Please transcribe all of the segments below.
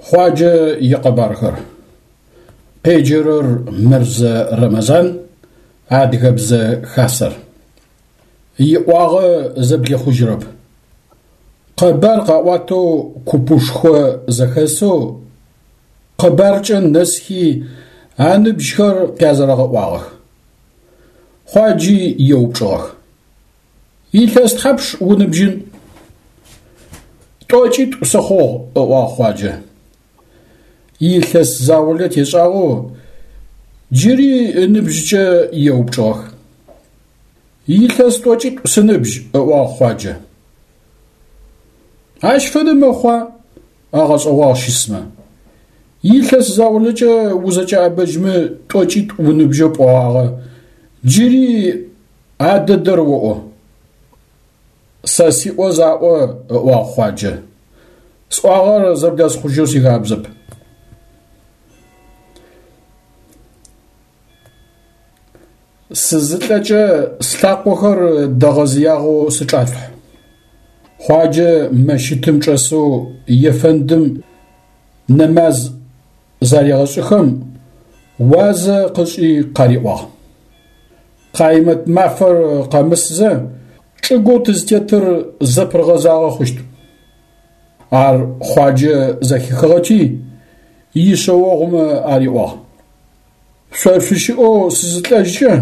Хъуаджэ икъэбархэр. Къеджэрэр Мырзэ Рэмэзан, Адыгэбзэ Хасэр. Иӏуагъэ зэблихъужьырэп. Къэбар къаӏуатэу купышхо зэхэсэу къэбаркӏэ нэсхи аныбжьхэр къязэрэгъэӏуагъэх. Хъуаджи еупчӏыгъэх. Илъэс тхьапш уныбжьын? Тӏокӏитӏу сыхъугъ, ыӏуагъ Хъуаджэ. Илъэс заулэ тешӏагъэу джыри ыныбжькӏэ еупчӏыгъэх. Илъэс тӏокӏитӏу сыныбжь, ыӏуагъ Хъуаджэ. Ащ фэдэ мэхъуа? Агъэшӏэгъуагъ щысмэ. Илъэс заулэкӏэ узэкӏэӏэбэжьмэ тӏокӏитӏу уныбжьэу пӏогъагъэ, джыри а дэдэр оӏо. Сэ сиӏо заӏо, ыӏуагъ Хъуаджэ. Сӏуагъэр зэблэсхъужьэу сихабзэп. Сызылӏэкӏэ слъакъохэр дэгъэзыягъэу сычӏашъухь. Хъуаджэ мэщытым чӏэсэу ефэндым нэмаз зарегъэшӏыхэм, уазэ къышӏи къариӏуагъ. Къаймэт мафэр къэмысзэ, чӏыгоу тызтетыр зэпыргъэзагъэ хъущт. Ар Хъуаджэ зэхихыгъэти, ишъэогъумэ ариӏуагъ. Шъо шъущыӏэу сызылӏэжькӏэ,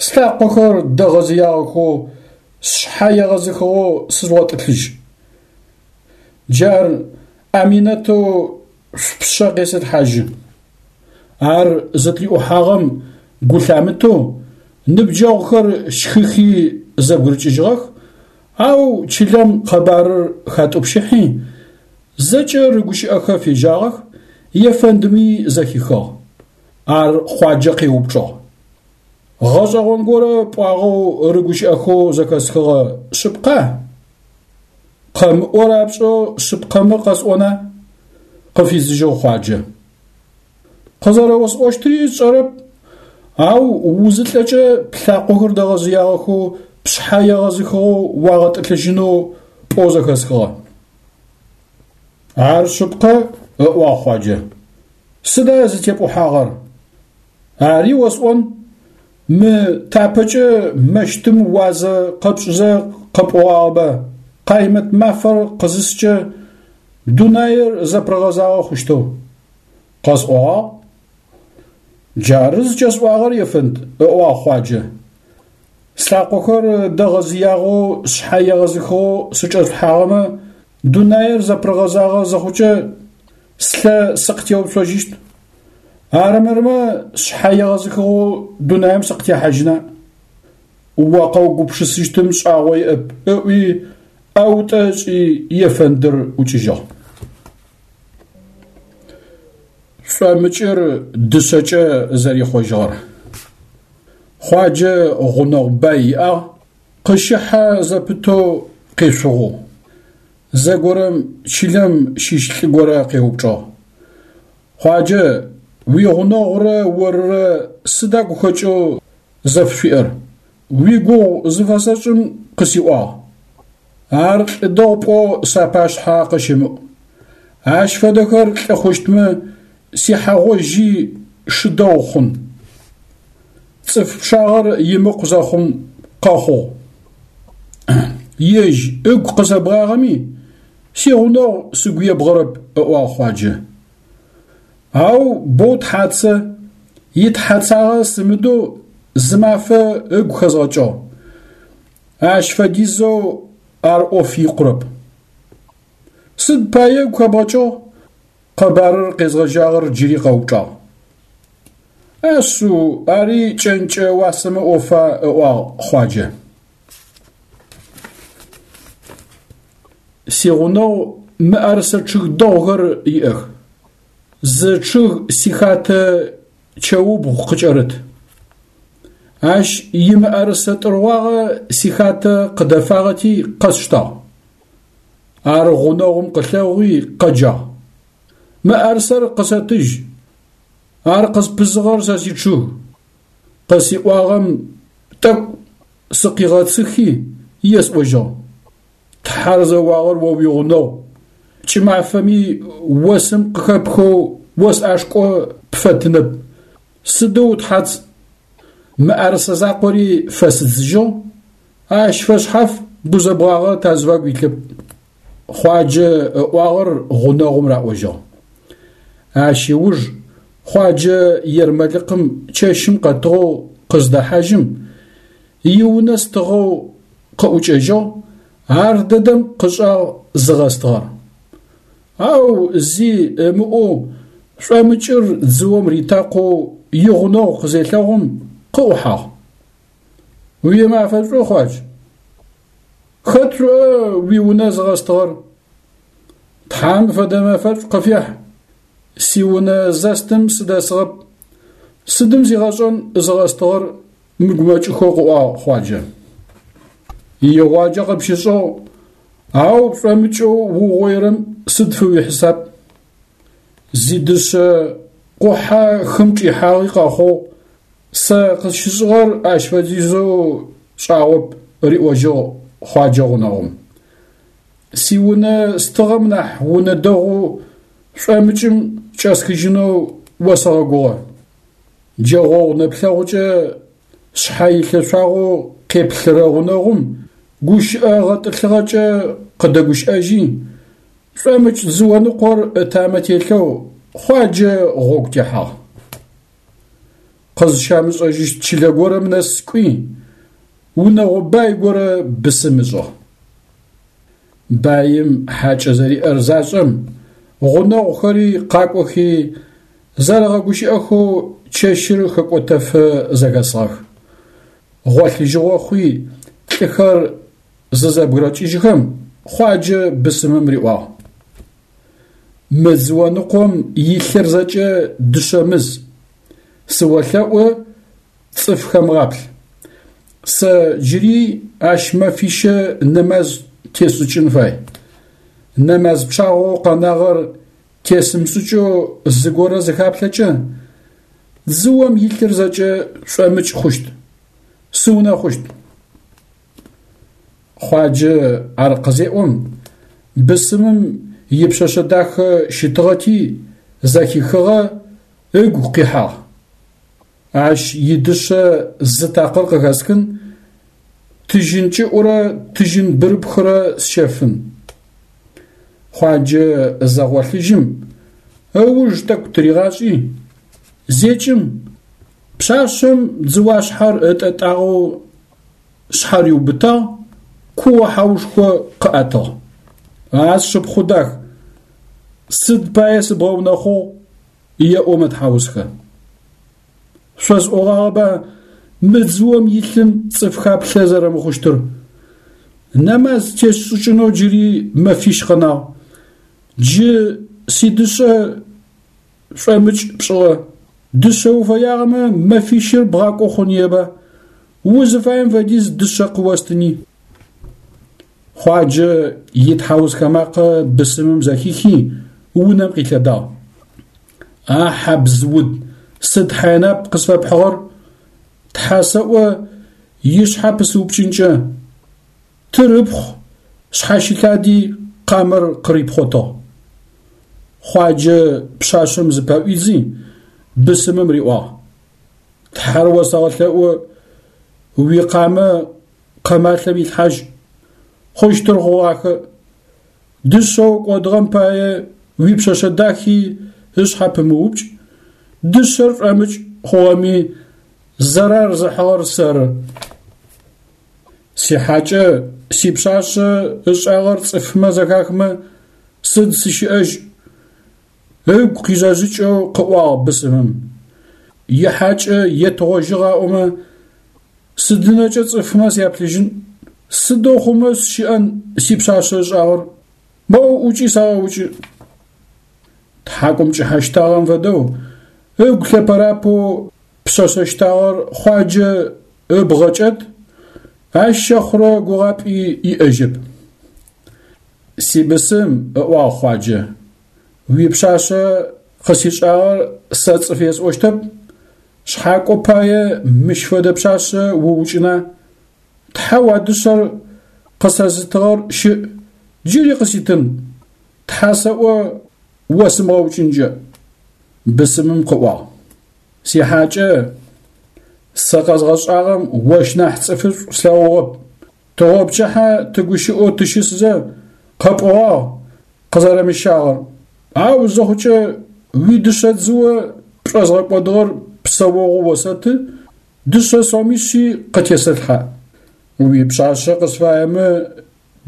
слъакъохэр дэгъэзыягъэхэу, сшъхьэ егъэзыхыгъэу сыжъугъэтӏылъыжь. Джар ӏэминэтэу шъупшъэ къесэлъхьажьы. Ар зытриӏухьагъэм гу лъамытэу, ныбджэгъухэр щхыхи зэбгырыкӏыжьыгъэх, ау чылэм къэбарыр хатӏупщыхьи, зэкӏэ рыгущыӏэхэ фежьагъэх, ефэндми зэхихыгъ. Ар Хъуаджэ къеупчӏыгъ. Гъэшӏэгъон горэ пӏуагъэу рыгущыӏэхэу зэхэсхыгъэ шъыпкъа? Къэмыӏо рапшӏэу шъыпкъэмэ къэсӏона? Къыфидзыжьыгъ Хъуаджэ. Къызэрэосӏощтри сшӏэрэп, ау узылӏэкӏэ плъакъохэр дэгъэзыягъэхэу, пшъхьэ егъэзыхыгъэу уагъэтӏылъыжьынэу пӏоу зэхэсхыгъэ. Ар шъыпкъэ, ыӏуагъ Хъуаджэ. Сыда зытепӏухьагъэр? Ари осӏон, мы тапэкӏэ мэщытым уазэ къэпшӏызэ къэпӏогъагъэба, Къаймэт мафэр къызыскӏэ дунаир зэпыргъэзагъэ хъущтэу? Къэсӏогъагъ. Джары зыкӏэсӏуагъэр, ефэнд, ыӏуагъ Хъуаджэ. Слъакъохэр дэгъэзыягъэу, сшъхьэ егъэзыхыгъэу сычӏэшъулъхьагъэмэ, дунаир зэпыргъэзагъэ зыхъукӏэ, слъэ сыкъытеуцожьыщт. Арымырмэ, сшъхьэ егъэзыхыгъэу дунаим сыкъытехьажьына? О къэугупшысыщтым шӏагъо иӏэп, ыӏуи, ӏэутӏэ ышӏи, ефэндыр ӏукӏыжьыгъ. Шӏомыкӏыр дышъэкӏэ зэрихъожьыгъэр. Хъуаджэ гъунэгъу бай иӏагъ, къыщыхьэ зэпытэу къешъугъоу. Зэгорэм чылэм щыщ лӏы горэ къеупчӏыгъ. Хъуаджэ, уигъунэгъурэ орырэ сыда гухэкӏэу зэфшъуиӏэр? Уигугъу зыфэсэшӏым къысиӏуагъ. Ар лӏы дэгъу пӏоу сапашъхьэ къыщымыӏу. Ащ фэдэхэр лӏы хъущтмэ, сихьэ гъожьи шы дэгъу хъун. Цӏыф пчъагъэр имыкъу зэхъум къэхъугъ. Ежь ыгу къысэбгъагъэми, сигъунэгъу сыгу ебгъэрэп, ыӏуагъ Хъуаджэ. Ау боу тхьацэ, итхьацагъэ сымыдэу зымафэ ыгу хэзгъэкӏыгъ. Ащ фэдизэу ар ӏоф икъурэп. Сыд пае ыгу хэбгъэкӏыгъ? Къэбарыр къезгъэжьагъэр джыри къэупчӏагъ. Ашъыу, ари кӏэнкӏэ уасэмэ ӏофа, ыӏуагъ Хъуаджэ. Сигъунэгъу мыӏэрысэ чъыг дэгъухэр иӏэх. Зы чъыг сихатэ чэубгъу къыкӏэрыт. Ащ имыӏэрысэ тӏыргъуагъэ сихатэ къыдэфагъэти къэсштагъ. Ар гъунэгъум къылъэгъуи къэджагъ. Мыӏэрысэр къысэтыжь, ар къызпызыгъэр сэ сичъыг. Къысиӏуагъэм тӏэкӏу сыкъигъэцыхи, есӏожьыгъ. Тхьэр зэуагъэр о уигъунэгъу. Кӏымафэми осым къыхэпхэу ос ӏашкӏо пфэтынэп. Сыдэу утхьац! Мыӏэрысэ закъори фэсыдзыжьыгъ, ащ фэшъхьаф гузэбгъагъэ тазыфагу илъэп. Хъуаджэ ыӏуагъэр гъунэгъум раӏожьыгъ. Ащ ыуж Хъуаджэ ермэлыкъым чэщым къэтыгъэу къыздэхьажьым, иунэ стыгъэу къыӏукӏэжьыгъ, ар дэдэм къышӏагъ зыгъэстыгъэр. Ау зи ымыӏоу шӏомыкӏыр дзыом ритакъоу игъунэгъу къызелъэгъум, къыӏухьагъ. Уимафэ шӏу, Хъуадж! Хэт шъуӏа уиунэ зыгъэстыгъэр? Тхьам фэдэ мэфэшӏу къыфехь. Сиунэ зэстым сыдэсыгъэп. Сыдым зигъэшӏэн зыгъэстыгъэр мыгумэкӏыхэу къыӏуагъ Хъуаджэ. Игъуаджэ къыпщышӏыгъ, ау шӏомыкӏэу угъоирэм сыд фыуихьисап? Зидышъэ къухьэ хым чӏихьагъи къэхъугъ, сэ къысщышӏыгъэр ащ фэдизэу шӏагъоп, риӏожьыгъ Хъуаджэ гъунэгъум. Сиунэ стыгъэм нахь унэ дэгъу шӏомыкӏым кӏэсхыжьынэу осэгъэгугъэ. Джэгъогъу нэплъэгъукӏэ шъхьэ илъэшъуагъэу къеплъырэ гъунэгъум гущыӏэ гъэтӏылъыгъэкӏэ къыдэгущыӏэжьи, шӏомыкӏ дзыоныкъор ытамэ телъэу Хъуаджэ гъогу техьагъ. Къызщамышӏэжьыщт чылэ горэм нэс кӏуи, унэгъо бай горэ бысым ышӏыгъ. Баим хьакӏэ зэриӏэр зашӏэм, гъунэгъухэри къакӏохи, зэрэгъэгущыӏэхэу чэщыр хэкӏотэфэ зэхэсыгъэх. Гъолъыжьыгъо хъуи, лӏыхэр зызэбгырэкӏыжьхэм, Хъуаджэ бысымым риӏуагъ. Мы дзыоныкъом илъыр зэкӏэ дышъэмыз. Сыолъэӏу, цӏыф хэмыгъаплъ. Сэ джыри ащ мэфищэ нэмаз тесшӏыкӏын фай. Нэмаз пчъагъэу къэнагъэр тесымышӏыкӏэу зыгорэ зыхаплъэкӏэ, дзыом илъыр зэкӏэ шӏомыкӏ хъущт, сыунэхъущт. Хъуаджэ ар къызеӏом, бысымым ипшъэшъэ дахэ щытыгъэти, зэхихыгъэ, ыгу къихьагъ. Ащ идышъэ зы такъыр къыхэсхын, тыжьын кӏыӏурэ тыжьын бырыпхырэ сщэфын. Хъуаджэ зэгъолъыжьым, ыуж тӏэкӏу тыригъашӏи, зекӏым, пшъашъэм дзыуашъхьэр ытӏэтӏагъэу шъхьариубытагъ, куо-хьаушхо къыӏэтыгъ. А сшыпхъу дах, сыд пае сыбгъэунэхъугъ? Еӏо мэтхьаусхэ. Шъосӏогъагъэба мы дзыом илъым цӏыф хаплъэ зэрэмыхъущтыр? Нэмаз тесшӏыкӏынэу джыри мэфищ къэнагъ. Джы сидышъэ шӏомыкӏ пшӏыгъэ. Дышъэ уфэягъэмэ, мэфищыр бгъакӏо хъуныеба? Узыфаем фэдиз дышъэ къыостыни. Хъуаджэ итхьаусхэ макъэ бысымым зэхихи, унэм къилъэдагъ. А хьабз уд, сыд хьайнап къысфэпхьыгъэр? Тхьэ сэӏо, ишъхьэ пысыупкӏынкӏэ. Тыр ыпхъу шъхьащылъади къамэр къырипхъотыгъ. Хъуаджэ пшъашъэм зыпэӏуидзи, бысымым риӏуагъ. Тхьэр осэгъэлъэӏу, уикъамэ къэмалъэм илъхьажь, хъущтыр хъугъахэ. Дышъэу кӏодыгъэм пае уипшъэшъэ дахи ышъхьэ пымыупкӏ, дышъэр шӏомыкӏ хъугъэми, зэрар зыхьыгъэр сэры. Сихьакӏэ сипшъашъэ ышӏагъэр цӏыфмэ зэхахмэ, сыд сыщыӏэжь? Ыгу къижъэжъыкӏэу къыӏуагъ бысымым. Ихьакӏэ етыгъожьыгъ аӏомэ, Сыдынэкӏэ цӏыфмэ сяплъыжьын, сыдэу хъумэ сщыӏэн сипшъашъэ ышӏагъэр, моу ӏукӏи сагъэукӏы. Тхьакӏумкӏыхьэ щтагъэм фэдэу, ыгу лъэпэрапэу пшъэшъэ щтагъэр Хъуаджэ ыбгъэ кӏэт, ащ щэхъурэ гугъапӏи иӏэжьэп. Сибысым, ыӏуагъ Хъуаджэ, уипшъашъэ къысишӏагъэр сэ цӏыф есӏощтэп, Шъхьакӏо пае мыщ фэдэ пшъашъэ уукӏына? Тхьэу а дышъэр къысэзытыгъэр щыӏ, джыри къыситын. Тхьэ сэӏо осымыгъэукӏынкӏэ. Бысымым къыӏуагъ, Сихьакӏэ, сэ къэзгъэшӏагъэм ощ нахь цӏыфышӏу слъэгъугъэп. Тыгъопчыхьэ тыгущыӏэу тыщысзэ къэпӏогъагъ къызэрэмыщагъэр. Ау зыхъукӏэ уидышъэ дзыо пшӏозгъэкӏодыгъэр псэогъоу осэты, дышъэ сомишъи къытесэлъхьэ. Уипшъашъэ къысфаемэ,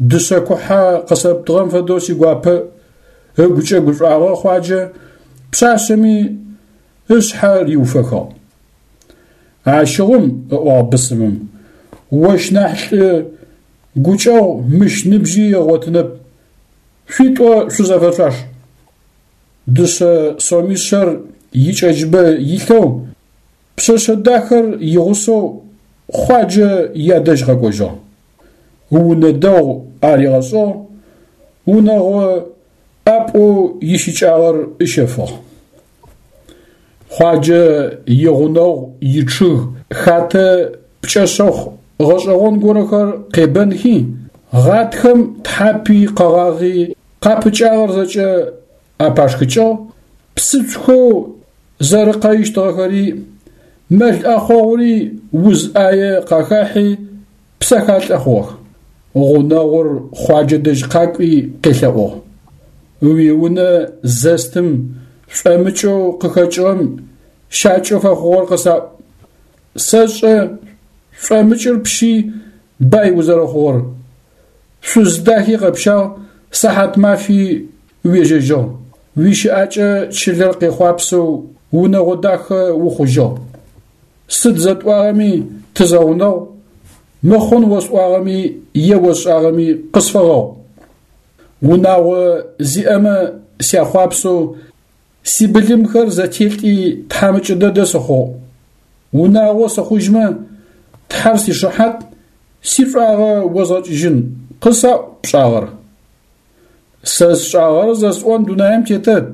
дышъэ кухьэ къысэптыгъэм фэдэу сигуапэ, ыгукӏэ гушӏуагъэ Хъуаджэ пшъашъэми ышъхьэ риуфэхыгъ. Ащыгъум, ыӏуагъ бысымым, ощ нахь лӏы гукӏэгъу мыщ ныбжьи ыгъотынэп, шъуитӏо шъузэфэшъуаш. Дышъэ сомишъэр икӏэджыбэ илъэу, пшъэшъэ дахэр игъусэу Хъуаджэ ядэжь къэкӏожьыгъ. Унэ дэгъу аригъэшӏыгъ, унэгъо ӏапӏэу ищыкӏагъэр ыщэфыгъ. Хъуаджэ игъунэгъу ичъыг хатэ пкӏэшъэхъу гъэшӏэгъон горэхэр къебэнхи, гъатхэм тхьапи къэгъагъи къапыкӏагъэр зэкӏэ апашхыкӏыгъ, псыцухэу зэрыкъэищтыгъэхэри, мэл ӏэхъогъури уз ӏае къахахьи, псэхалӏэ хъугъэх. Гъунэгъур Хъуаджэ дэжь къакӏуи къелъэӏугъ. Уиунэ зэстым шӏомыкӏэу къыхэкӏыгъэм щакӏэу фэхъугъэр къысаӏу. Сэшӏэ шӏомыкӏыр пщи бай узэрэхъугъэр. Шъуз дахи къэпщагъ, сыхьат мафи уежьэжьыгъ. Уищыӏакӏэ чылэр къехъуапсэу унэгъо дахэ ухъужьыгъ. Сыд зэтӏуагъэми тызэгъунэгъу, мыхъун осӏуагъэми е осшӏагъэми къысфэгъэгъу. Унагъо зиӏэмэ сяхъуапсэу сибылымхэр зэтелӏи тхьамыкӏэ дэдэ сыхъугъ. Унагъо сыхъужьмэ, Тхьэр сишыхьат, сишӏуагъэ озгъэкӏыжьын, къысаӏу пшӏагъэр. Сэ сшӏагъэр зэсӏон дунаим тетэп,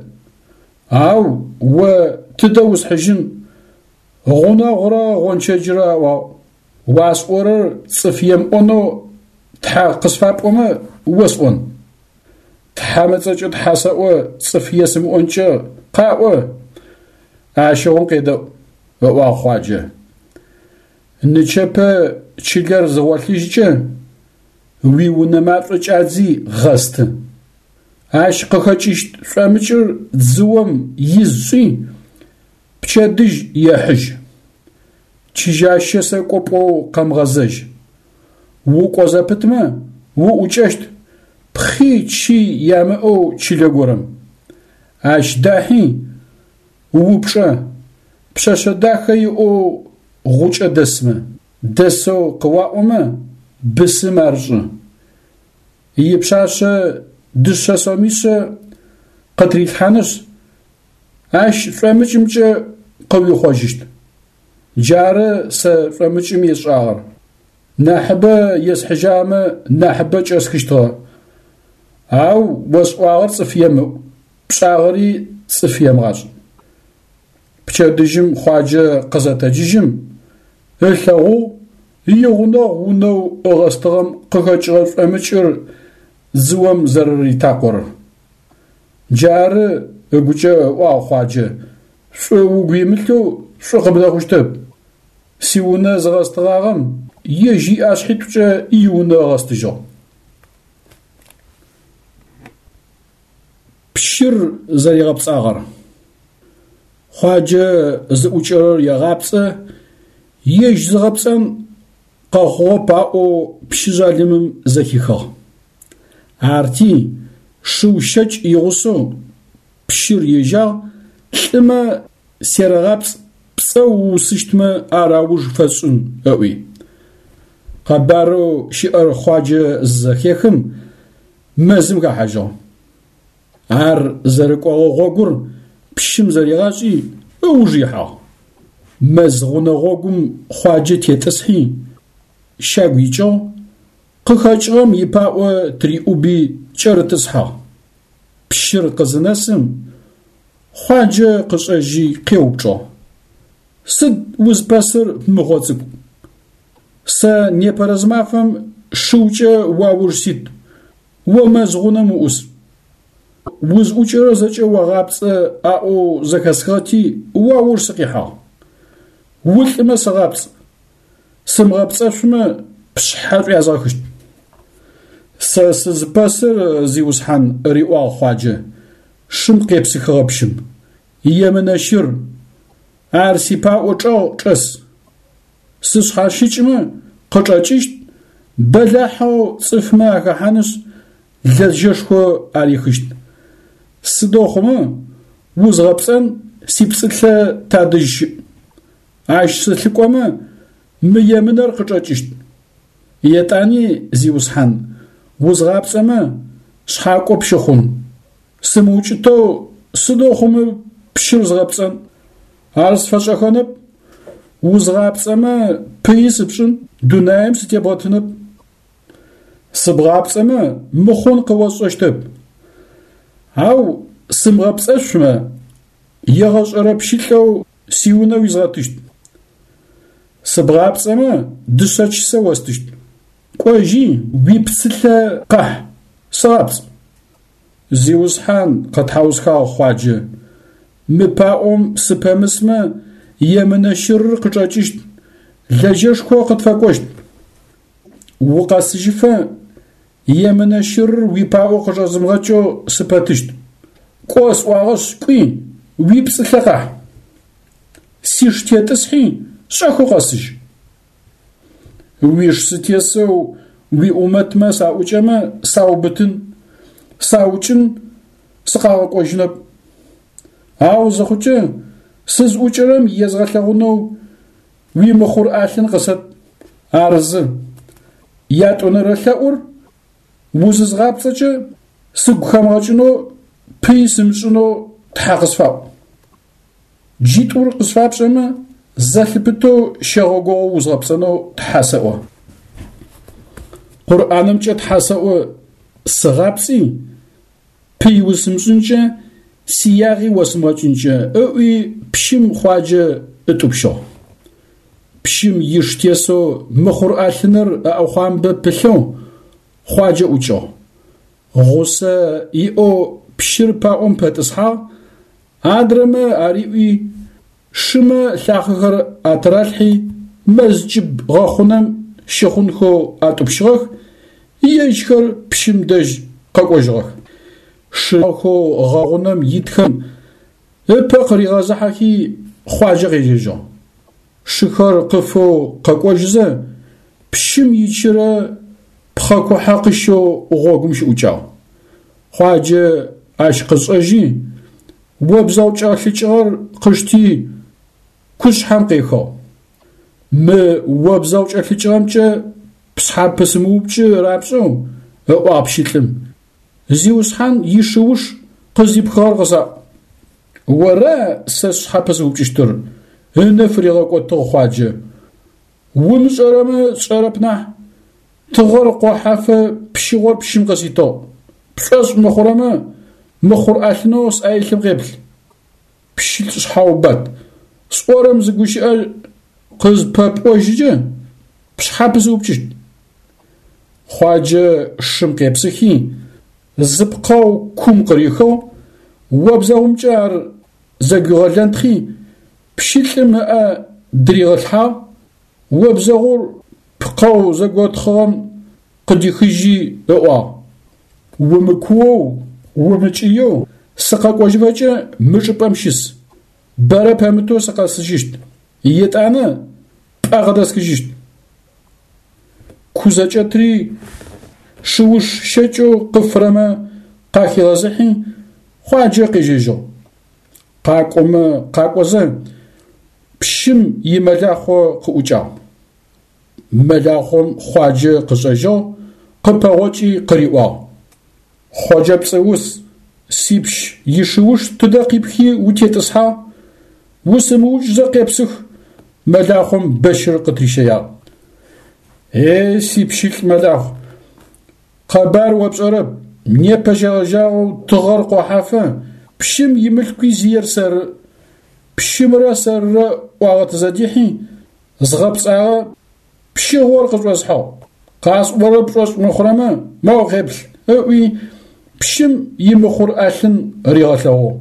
ау о тыдэ усхьыжьын, гъунэгъурэ гъончэджрэ аӏуагъ. Уасӏорэр цӏыф емыӏонэу тхьэ къысфапӏомэ, осӏон. Тхьэм ыцӏэкӏэ тхьэ сэӏо цӏыф есымыӏонкӏэ къаӏо, ащыгъум къедэӏу, ыӏуагъ Хъуаджэ. Нычэпэ чылэр зыгъолъыжькӏэ, уиунэ машӏо кӏадзи гъэсты. Ащ къыхэкӏыщт шӏомыкӏыр дзыом из шӏи, пчэдыжь ехьыжь. Чыжьащэ сэкӏо пӏоу къэмыгъэзэжь. Укӏо зэпытмэ, уӏукӏэщт пхъи чи ямыӏэу чылэ горэм. Ащ дахьи, упчӏэ, пшъэшъэ дахэ иӏэу гъукӏэ дэсмэ, дэсэу къыуаӏомэ, бысым ар шӏы. Ипшъашъэ дышъэ сомишъэ къытрилъхьанышъ, ащ шӏомыкӏымкӏэ къыуихъожьыщт. Джары сэ шӏомыкӏым есшӏагъэр. Нахьыбэ есхьыжьамэ, нахьыбэ кӏэсхыщтыгъэ. Ау осӏуагъэр цӏыф емыӏу, пшӏагъэри цӏыф емыгъашӏ. Пчэдыжьым Хъуаджэ къызэтэджыжьым, ылъэгъугъ игъунэгъу унэу ыгъэстыгъэм къыхэкӏыгъэ шӏомыкӏыр дзыом зэрэритакъорэр. Джары ыгукӏэ ыӏуагъ Хъуаджэ, шӏу угу имылъэу шӏу къыбдэхъущтэп. Сиунэ зыгъэстыгъагъэм ежь иӏэшъхьитӏукӏэ иунэ ыгъэстыжьыгъ. Пщыр зэригъэпцӏагъэр. Хъуаджэ зыӏукӏэрэр егъапцӏэ, ежь зыгъэпцӏэн къэхъугъэп аӏоу пщы жъалымым зэхихыгъ. Арти, шыу щэкӏ игъусэу пщыр ежьагъ, лӏымэ серэгъапцӏ, пцӏэ уусыщтмэ ар ауж фэсшӏын, ыӏуи. Къэбарэу щыӏэр Хъуаджэ зызэхехым, мэзым хэхьажьыгъ. Ар зэрыкӏогъэ гъогур пщым зэригъашӏи, ыуж ихьагъ. Мэз гъунэ гъогум Хъуаджэ тетӏысхьи, щагу икӏыгъ, къыхэкӏыгъэм ипаӏо тыриӏуби кӏэрытӏысхьагъ. Пщыр къызынэсым, Хъуаджэ къышӏэжьи къеупчӏыгъ, Сыд узпэсыр, мыгъо цӏыкӏу? Сэ непэрэзымафэм шыукӏэ уауж сит, о мэз гъунэм уӏус. Узӏукӏэрэр зэкӏэ огъапцӏэ аӏоу зэхэсхыгъэти, уауж сыкъихьагъ. Улӏымэ сыгъапцӏ, сымыгъэпцӏэшъумэ, пшъхьэ шӏуязгъэхыщт. Сэ сызыпэсыр, зиусхьан, риӏуагъ Хъуаджэ, шым къепсыхыгъэ пщым. Емынэ щыр, ар сипаӏо чӏэгъ чӏэс. Сышъхьащыкӏмэ, къычӏэкӏыщт, бэлахьэу цӏыфмэ ахэхьанышъ, лэжьэшхо арихыщт. Сыдэу хъумэ, узгъэпцӏэн сипцӏылъэ тадэжь щыӏ. Ащ сылъыкӏомэ, мы емынэр къычӏэкӏыщт. Етӏани, зиусхьан, узгъапцӏэмэ, шъхьакӏо пщыхъун. Сымыукӏытэу сыдэу хъумэ пщыр згъэпцӏэн? Ар сфэшӏэхэнэп. Узгъапцӏэмэ, пыи сыпшӏын, дунаим сытебгъэтынэп. Сыбгъапцӏэмэ, мыхъун къыосшӏэщтэп. Ау сымыгъэпцӏэшъумэ, егъэшӏэрэ пщылӏэу сиунэ уизгъэтыщт. Сыбгъапцӏэмэ, дышъэ чысэ остыщт. Кӏожьи, уипцылъэ къэхь, сыгъапцӏ. Зиусхьан, къэтхьаусхагъ Хъуаджэ, мы паӏом сыпэмысмэ, емынэ щырыр къычӏэкӏыщт, лэжьэшхо къытфэкӏощт. Укъэсыжьыфэ емынэ щырыр уипаӏо къычӏэзымыгъэкӏэу сыпэтыщт. Кӏо сӏуагъэшъ, кӏуи, уипцӏылъэ къахь. Сиш тетӏысхьи, шӏэхэу къэсыжь. Уиш сытесэу уиӏумэтмэ саӏукӏэмэ, саубытын, саукӏын, сыкъагъэкӏожьынэп. Ау зыхъукӏэ, сызӏукӏэрэм езгъэлъэгъунэу уимыхъур ӏалъын къысэт. Ар зы. Ятӏонэрэ лъэӏур узызгъапцӏэкӏэ сыгу хэмыгъэкӏынэу, пыи сымышӏынэу Тхьэ къысфаӏу. Джитӏур къысфапшӏэмэ, зэлъыпытэу щэгъогогъо узгъэпцӏэнэу Тхьэ сэӏо. Къурӏанымкӏэ Тхьэ сэӏо сыгъапцӏи, пый усымышӏынкӏэ, сиягъи осымыгъэкӏынкӏэ, ыӏуи пщым Хъуаджэ ытӏупщыгъ. Пщым иш тесэу мыхъур ӏалъыныр ыӏэхъуамбэ пылъэу Хъуаджэ ӏукӏыгъ. Гъусэ иӏэу пщыр паӏом пэтӏысхьагъ, Адрэмэ ариӏуи, шымэ лъахъэхэр атыралъхьи, мэз кӏыб гъэхъунэм щыхъунхэу атӏупщыгъэх, ежьхэр пщым дэжь къэкӏожьыгъэх. Шыхэу гъэхъунэм итхэм ыпэ къыригъэзыхьэхи, Хъуаджэ къежьэжьыгъ. Шыхэр къыфэу къэкӏожьызэ, пщым ичырэ пхъэ кухьэ къыщэу гъогум щыӏукӏагъ. Хъуаджэ ащ къышӏэжьи, обзэгъу кӏэлъыкӏыгъэр къышти, кушъхьэм къехыгъ. Мы обзэгъу кӏэлъыкӏыгъэмкӏэ пшъхьэ пысымыупкӏы рапшӏэу, ыӏуагъ пщылӏым, Зиусхьан ишыуш къызипхыгъэр къысаӏу. Ора сэ сшъхьэ пызыупкӏыщтыр? ынэ фыригъэкӏотыгъ Хъуаджэ. Умышӏэрэмэ сшӏэрэп нахь, тыгъэр къохьэфэ пщыгъор пщым къыситыгъ. Пшӏошъ мыхъурэмэ, мыхъур ӏэлъынэу сӏэ илъым къеплъ. Пщылӏ шъхьаубат, сӏорэм зы гущыӏэ къызпэпӏожьыкӏэ, пшъхьэ пызыупкӏыщт. Хъуаджэ шым къепсыхи, зы пкъэу кум къырихыгъ, обзэгъумкӏэ ар зэгуигъэлэнтхъи, пщылӏым ыӏэ дыригъэлъхьагъ, обзэгъур пкъэу зэготхъыгъэм къыдихыжьи ыӏуагъ, Умыкуоу, умыкӏыеу сыкъэкӏожьыфэкӏэ мы чӏыпӏэм щыс, бэрэ пэмытэу сыкъэсыжьыщт, етӏанэ пӏэ къыдэсхыжьыщт. Ку зэкӏэтри шыуш щэкӏэу къыфырэмэ къахигъэзыхьи, Хъуаджэ къежьэжьыгъ. Къакӏомэ къакӏозэ, пщым имэлахъо къыӏукӏагъ. Мэлахъом Хъуаджэ къышӏэжьыгъ, къыпэгъокӏи къыриӏуагъ: Хъоджэ пцӏыус, сипщ ишыуш тыдэ къипхи утетӏысхьагъ? Усымыукӏзэ къепсых, мэлахъом бэщыр къытырищэягъ. Е, сипщылӏ мэлахъу, къэбар о пшӏэрэп, непэ щегъэжьагъэу тыгъэр къохьафэ, пщым имылъкуи зиер сэры. Пщымрэ сэррэ ӏуагъэ тызэдихьи, згъэпцӏагъэ, пщыгъор къышӏосхьыгъ. Къасӏорэр пшӏошъ мыхъурэмэ, моу къеплъ, ыӏуи, Пщым имыхъур ӏэлъын ригъэлъэгъугъ.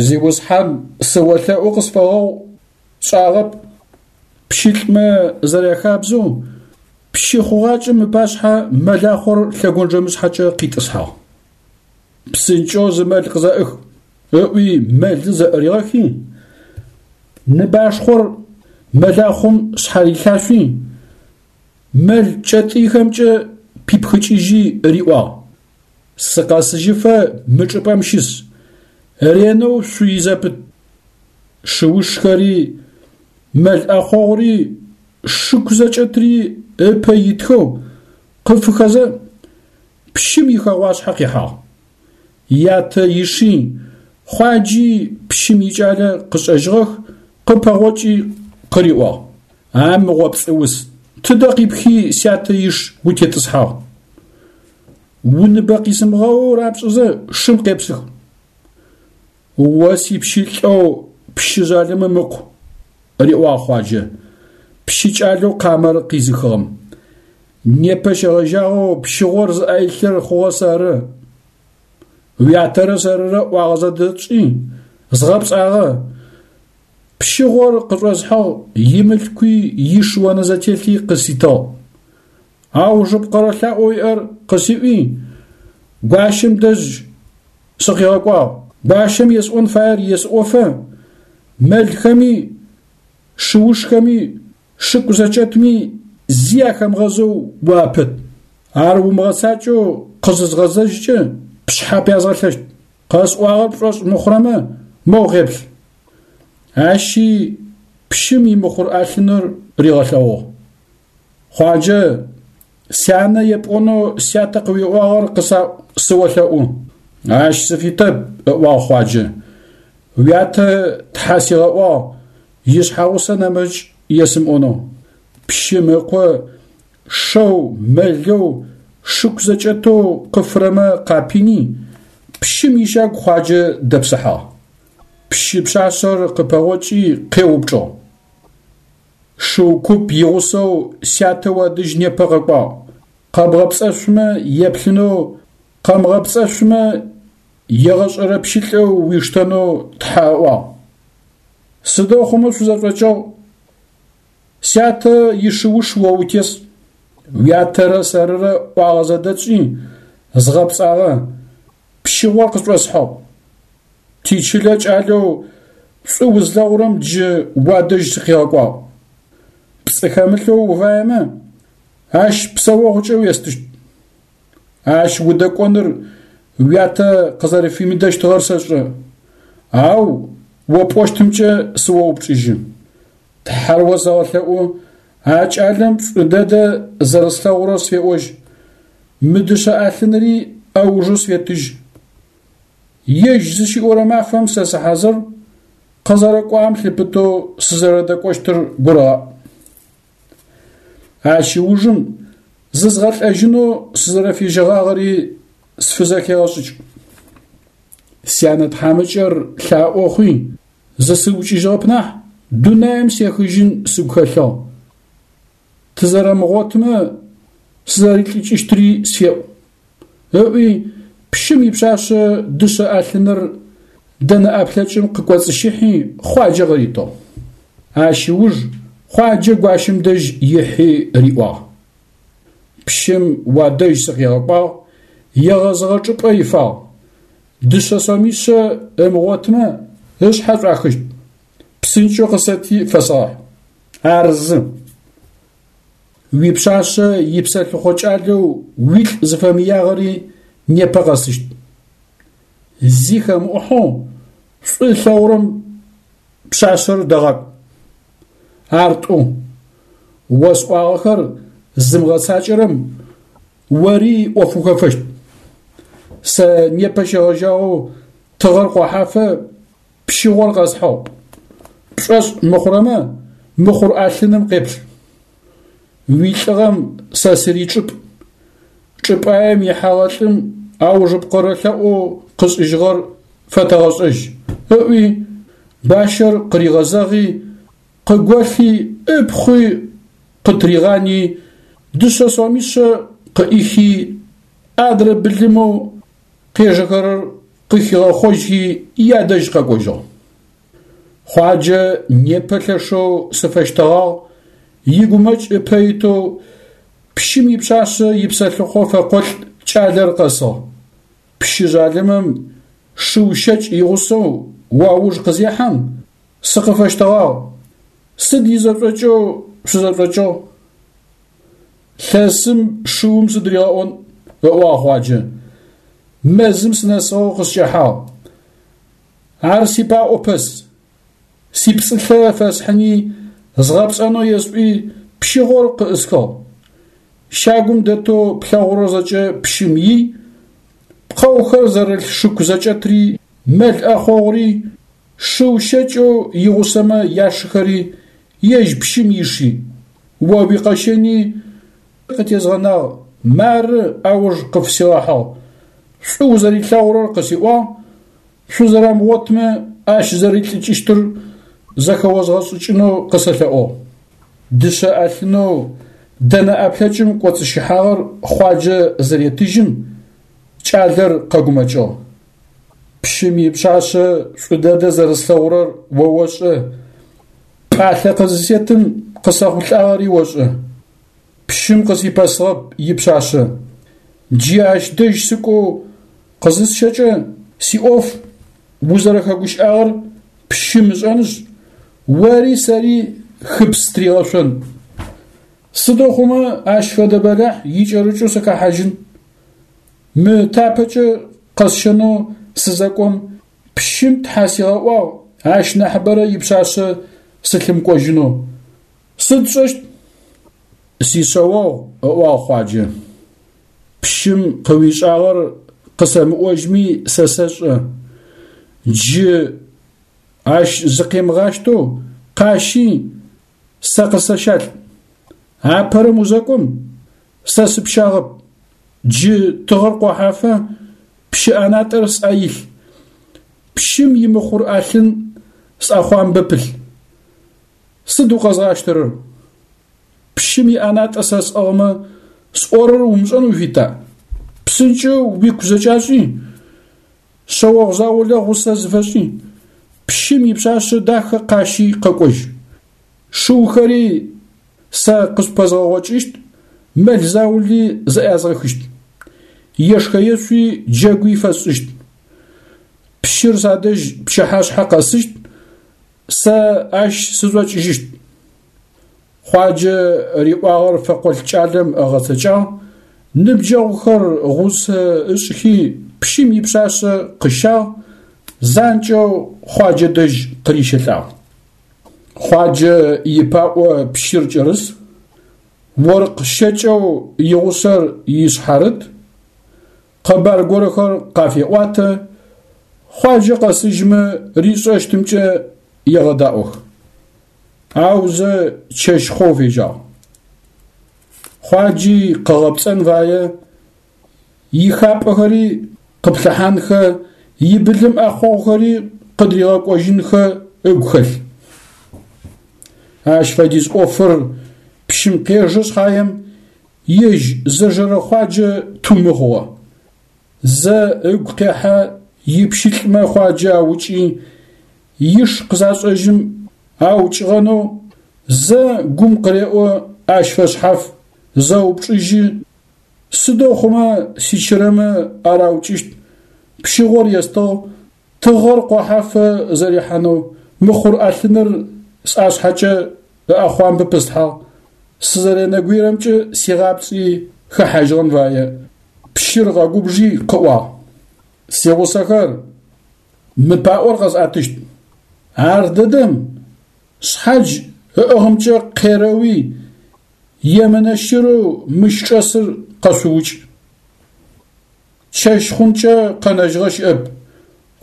Зиусхьан, сыолъэӏу къысфэгъэгъу, сшӏагъэп. Пщылӏмэ зэряхабзэу, пщы хъугъакӏэм ыпашъхьэ мэлахъор лъэгонджэмышъхьэкӏэ къитӏысхьагъ. Псынкӏэу зы мэл къызэӏых, ыӏуи мэлы зэӏыригъэхи, ныбашхъор мэлахъом шъхьарилъашъуи, мэл кӏэтӏыйхэмкӏэ пипхыкӏыжьи риӏуагъ, Сыкъэсыжьыфэ мы чӏыпӏэм щыс, ренэу шъуй зэпыт. Шыушхэри, мэл ӏэхъогъури, шыку зэкӏэтри ыпэ итхэу къыфыхэзэ, пщым ихэгъуашъхьэ къихьагъ. Ятэ иши, Хъуаджи пщым икӏалэ къышӏэжьыгъэх, къыпэгъокӏи къыриӏуагъ, А мыгъо пцӏыус, тыдэ къипхи сятэ иш утетӏысхьагъ? Уныбэ къисымыгъэоу рапшӏызэ шым къепсых. О сипщылӏэу пщы жъалымым ыкъу, риӏуагъ Хъуаджэ, пщы кӏалэу къамэр къизыхыгъэм. Непэ щегъэжьагъэу пщыгъор зыӏэ илъыр хъугъэ сэры. Уятэрэ сэрырэ ӏуагъэ зэдэтшӏи, згъэпцӏагъэ. Пщыгъор къышӏосхьыгъ, имылъкуи иш онэзэтелъи къыситыгъ. Аужыпкъэрэ лъэӏоу иӏэр къысиӏуи, гуащэм дэжь сыкъигъэкӏуагъ. Гуащэм есӏон фаер есӏофэ, мэлхэми, шыушхэми, шыку зэкӏэтми зи ахэмыгъэзэу уапыт. Ар умыгъэцакӏэу къызызгъэзэжькӏэ, пшъхьэ пязгъэлъэщт. Къэсӏуагъэр пшӏошъ мыхъурэмэ, моу къеплъ. Ащи пщым имыхъур ӏэлъыныр ригъэлъэгъугъ. Хъуаджэ, сянэ епӏонэу сятэ къыуиӏуагъэр къысаӏу, сыолъэӏу. Ащ сыфитэп, ыӏуагъ Хъуаджэ. Уятэ тхьэ сигъэӏуагъ, ишъхьэгъусэ нэмыкӏ есымыӏонэу. Пщым ыкъо шэу, мэлэу, шыку зэкӏэтэу къыфырэмэ къапини, пщым ищагу Хъуаджэ дэпсыхьагъ. Пщы пшъашъэр къыпэгъокӏи къеупчӏыгъ. Шыу куп игъусэу сятэ уадэжь непэ къэкӏуагъ. Къэбгъэпцӏэшъумэ еплъынэу, къэмыгъэпцӏэшъумэ егъэшӏэрэ пщылӏэу уиштэнэу тхьэ ыӏуагъ. Сыдэу хъумэ шъузэшӏокӏыгъ? Сятэ ишыуш о утес. Уятэрэ сэрырэ ӏуагъэ зэдэтшӏи, згъэпцӏагъэ, пщыгъор къышӏосхьыгъ. Тичылэ кӏалэу шӏу узлъэгъурэм джы уадэжь сыкъигъэкӏуагъ. Пцӏы хэмылъэу уфаемэ, ащ псэогъукӏэ уестыщт. Ащ удэкӏоныр уятэ къызэрэфимыдэщтыгъэр сэшӏэ, ау о пӏощтымкӏэ сыоупчӏыжьы. Тхьэр осэгъэлъэӏу, а кӏалэм шӏу дэдэ зэрэслъэгъурэр сфеӏожь, мы дышъэ ӏэлъынри ӏэужэу сфетыжь. Ежь зыщиӏорэ мафэм сэ сыхьазыр, къызэрэкӏуагъэм лъыпытэу сызэрэдэкӏощтыр гурыгъаӏу. Ащ ыужым зызгъэлӏэжьынэу сызэрэфежьэгъагъэри сфызэхегъэшӏыкӏ. Сянэ тхьамыкӏэр лъаӏо хъуи, зысыукӏыжьыгъэп нахь, дунаим сехыжьын сыгу хэлъыгъ. Тызэрэмыгъотмэ, сызэрилӏыкӏыщтри сфеӏу. Ыӏуи, пщым ипшъашъэ дышъэ ӏэлъыныр дэнэ ӏэплъэкӏым къыкӏоцӏыщыхьи, Хъуаджэ къыритыгъ. Ащ ыуж Хъуаджэ гуащэм дэжь ихьи риӏуагъ. Пщым уадэжь сыкъигъэкӏуагъ, егъэзыгъэ чӏыпӏэ ифагъ. Дышъэ сомишъэ ымыгъотмэ, ышъхьэ шӏуахыщт. Псынкӏэу къысэти фэсэгъэхь. Ар зы. Уипшъашъэ ипсэлъыхъо кӏалэу уилӏ зыфэмыягъэри непэ къэсыщт. Зи хэмыӏухьэу шӏу ылъэгъурэм пшъашъэр дэгъакӏу. Ар тӏу. Осӏуагъэхэр зымыгъэцакӏэрэм ори ӏоф ухэфэщт. Сэ непэ щегъэжьагъэу тыгъэр къохьафэ Пщыгъор къэсхьыгъ. Пшӏошъ мыхъурэмэ, мыхъур ӏэлъыным къеплъ. Уилӏыгъэм сэ сыричӏыпӏ. Чӏыпӏаем ихьэгъэ лӏым аужыпкъэрэ лъэӏоу къышӏыжьыгъэр фэтэгъэшӏэжь, ыӏуи, бащэр къыригъэзэгъи, къыголъи, ыпхъуи къытыригъани, дышъэ сомишъэ къыӏихи, адрэ былымэу. къежэхэрэр къыхигъэхъожьхи ядэжь къэкӏожьыгъ. Хъуаджэ непэ лъэшэу сыфэщтэгъагъ, игумэкӏ ыпэ итэу пщым ипшъашъэ ипсэлъыхъо фэкъолӏ кӏалэр къэсыгъ. Пщы жъалымым шыу щэкӏ игъусэу уауж къызехьэм, сыкъыфэщтэгъагъ. Сыд изэшӏокӏэу шъузэшӏокӏыгъ? Лъэсым шыум сыд ригъэӏон, ыӏуагъ Хъуаджэ. Мэзым сынэсыгъэу къыскӏэхьагъ. Ар сипаӏо пэс. Сипцӏылъэ фэсхьыни, згъэпцӏэнэу есӏуи, пщыгъор къыӏысхыгъ. Щагум дэтэу плъэгъурэр зэкӏэ пщым ий, пкъэухэр зэрылъ шыку зэкӏэтри, мэл ӏэхъогъури, шыу щэкӏэу игъусэмэ яшыхэри, ежь пщым иши. О уикъэщэни къытезгъэнагъ, мары ауж къыфсигъэхьыгъ. Шӏу узэрилъэгъурэр къысиӏуагъ, шъузэрэмыгъотмэ ащ зэрилӏыкӏыщтыр зэхэозгъэшӏыкӏынэу къысэлъэӏугъ. Дышъэ ӏэлъынэу дэнэ ӏэплъэкӏым кӏоцӏыщыхьагъэр Хъуаджэ зыретыжьым, кӏалэр къэгумэкӏыгъ. Пщым ипшъашъэ шӏу дэдэ зэрэслъэгъурэр о ошӏэ, пӏалъэ къызысетым къысэхъулӏагъэри ошӏэ. Пщым къысипэсыгъэп ипшъашъэ. Джы ащ дэжь сыкӏоу къызысщэкӏэ, сиӏоф узэрэхэгущыӏагъэр пщым ышӏэнышъ, ори сэри хыпс тыригъэшъон. Сыдэу хъумэ ащ фэдэ бэлахь икӏэрыкӏэу сыхэхьажьын? Мы тапэкӏэ къэсщэнэу сызэкӏом, пщым тхьэ сигъэӏуагъ ащ нахьыбэрэ ипшъашъэ сылъымыкӏожьынэу. Сыд сшӏэщт? Сишъэогъу, ыӏуагъ Хъуаджэ. Пщым къыуишӏагъэр къысэмыӏожьми сэ сэшӏэ. Джы ащ зыкъемыгъащтэу къащи, сэ къысэщалӏ. Апэрэм узэкӏом, сэ сыпщагъэп. Джы тыгъэр къохьафэ, пщы ӏэнатӏэр сӏэ илъ. Пщым имыхъур ӏэлъын сӏэхъуамбэ пылъ. Сыд укъэзгъащтэрэр? Пщым иӏэнатӏэ сэ сӏыгъмэ, сӏорэр умышӏэн уфита? Псынкӏэу уику зэкӏашӏи, шъэогъу заулэ гъусэ зыфэшӏи, пщым ипшъашъэ дахэ къащи къэкӏожь. Шыухэри сэ къышъупэзгъэгъокӏыщт, мэл заули зэӏязгъэхыщт. Ешхэ-ешъуи джэгуи фэсшӏыщт. Пщыр садэжь пчыхьашъхьэ къэсыщт, Сэ ащ сышӏокӏыжьыщт. Хъуаджэ риӏуагъэр фэкъолӏ кӏалэм ыгъэцэкӏагъ, ныбджэгъухэр гъусэ ышӏхи, пщым ипшъашъэ къыщагъ, занкӏэу Хъуаджэ дэжь къырищэлӏагъ. Хъуаджэ ипаӏо пщыр кӏэрыс, оркъ щэкӏэу игъусэр ишъхьарыт, Къэбар горэхэр къафеӏуатэ, Хъуаджэ къэсыжьмэ ришӏэщтымкӏэ егъэдаӏох. Аузэ чэщ хъоу фежьагъ. Хъуаджи къыгъэпцӏэн фае, ихапӏэхэри къыплъыхьанхэ, ибылым ӏэхъогъухэри къыдыригъэкӏожьынхэ ыгу хэлъ. Ащ фэдиз ӏофыр пщым къежэ шъхьаем, Ежь зэжэрэ Хъуаджэ тумы хъугъэ. Зэ ыгу къехьэ ипщылӏмэ Хъуаджэ аукӏи, иш къызашӏэжьым аукӏыгъэнэу, зэ гум къыреӏо ащ фэшъхьаф, зэупчӏыжьы, Сыдэу хъумэ сичырэмэ араукӏыщт, пщыгъор естыгъ, тыгъэр къохьафэ зэрихьанэу мыхъур ӏэлъыныр сӏашъхьэкӏэ ыӏэхъуамбэ пыслъхьагъ, сызэренэгуерэмкӏэ сигъапцӏи хэхьажьыгъэн фае, пщыр къэгубжи къыӏуагъ. Сигъусэхэр, мы паӏор къэсӏэтыщт. Ардэдэм шъхьадж ыӏыгъымкӏэ къерэуи, емынэ щырэу мыщ чӏэсыр къэшъуукӏ. Чэщ хъункӏэ къэнэжьыгъэ щыӏэп,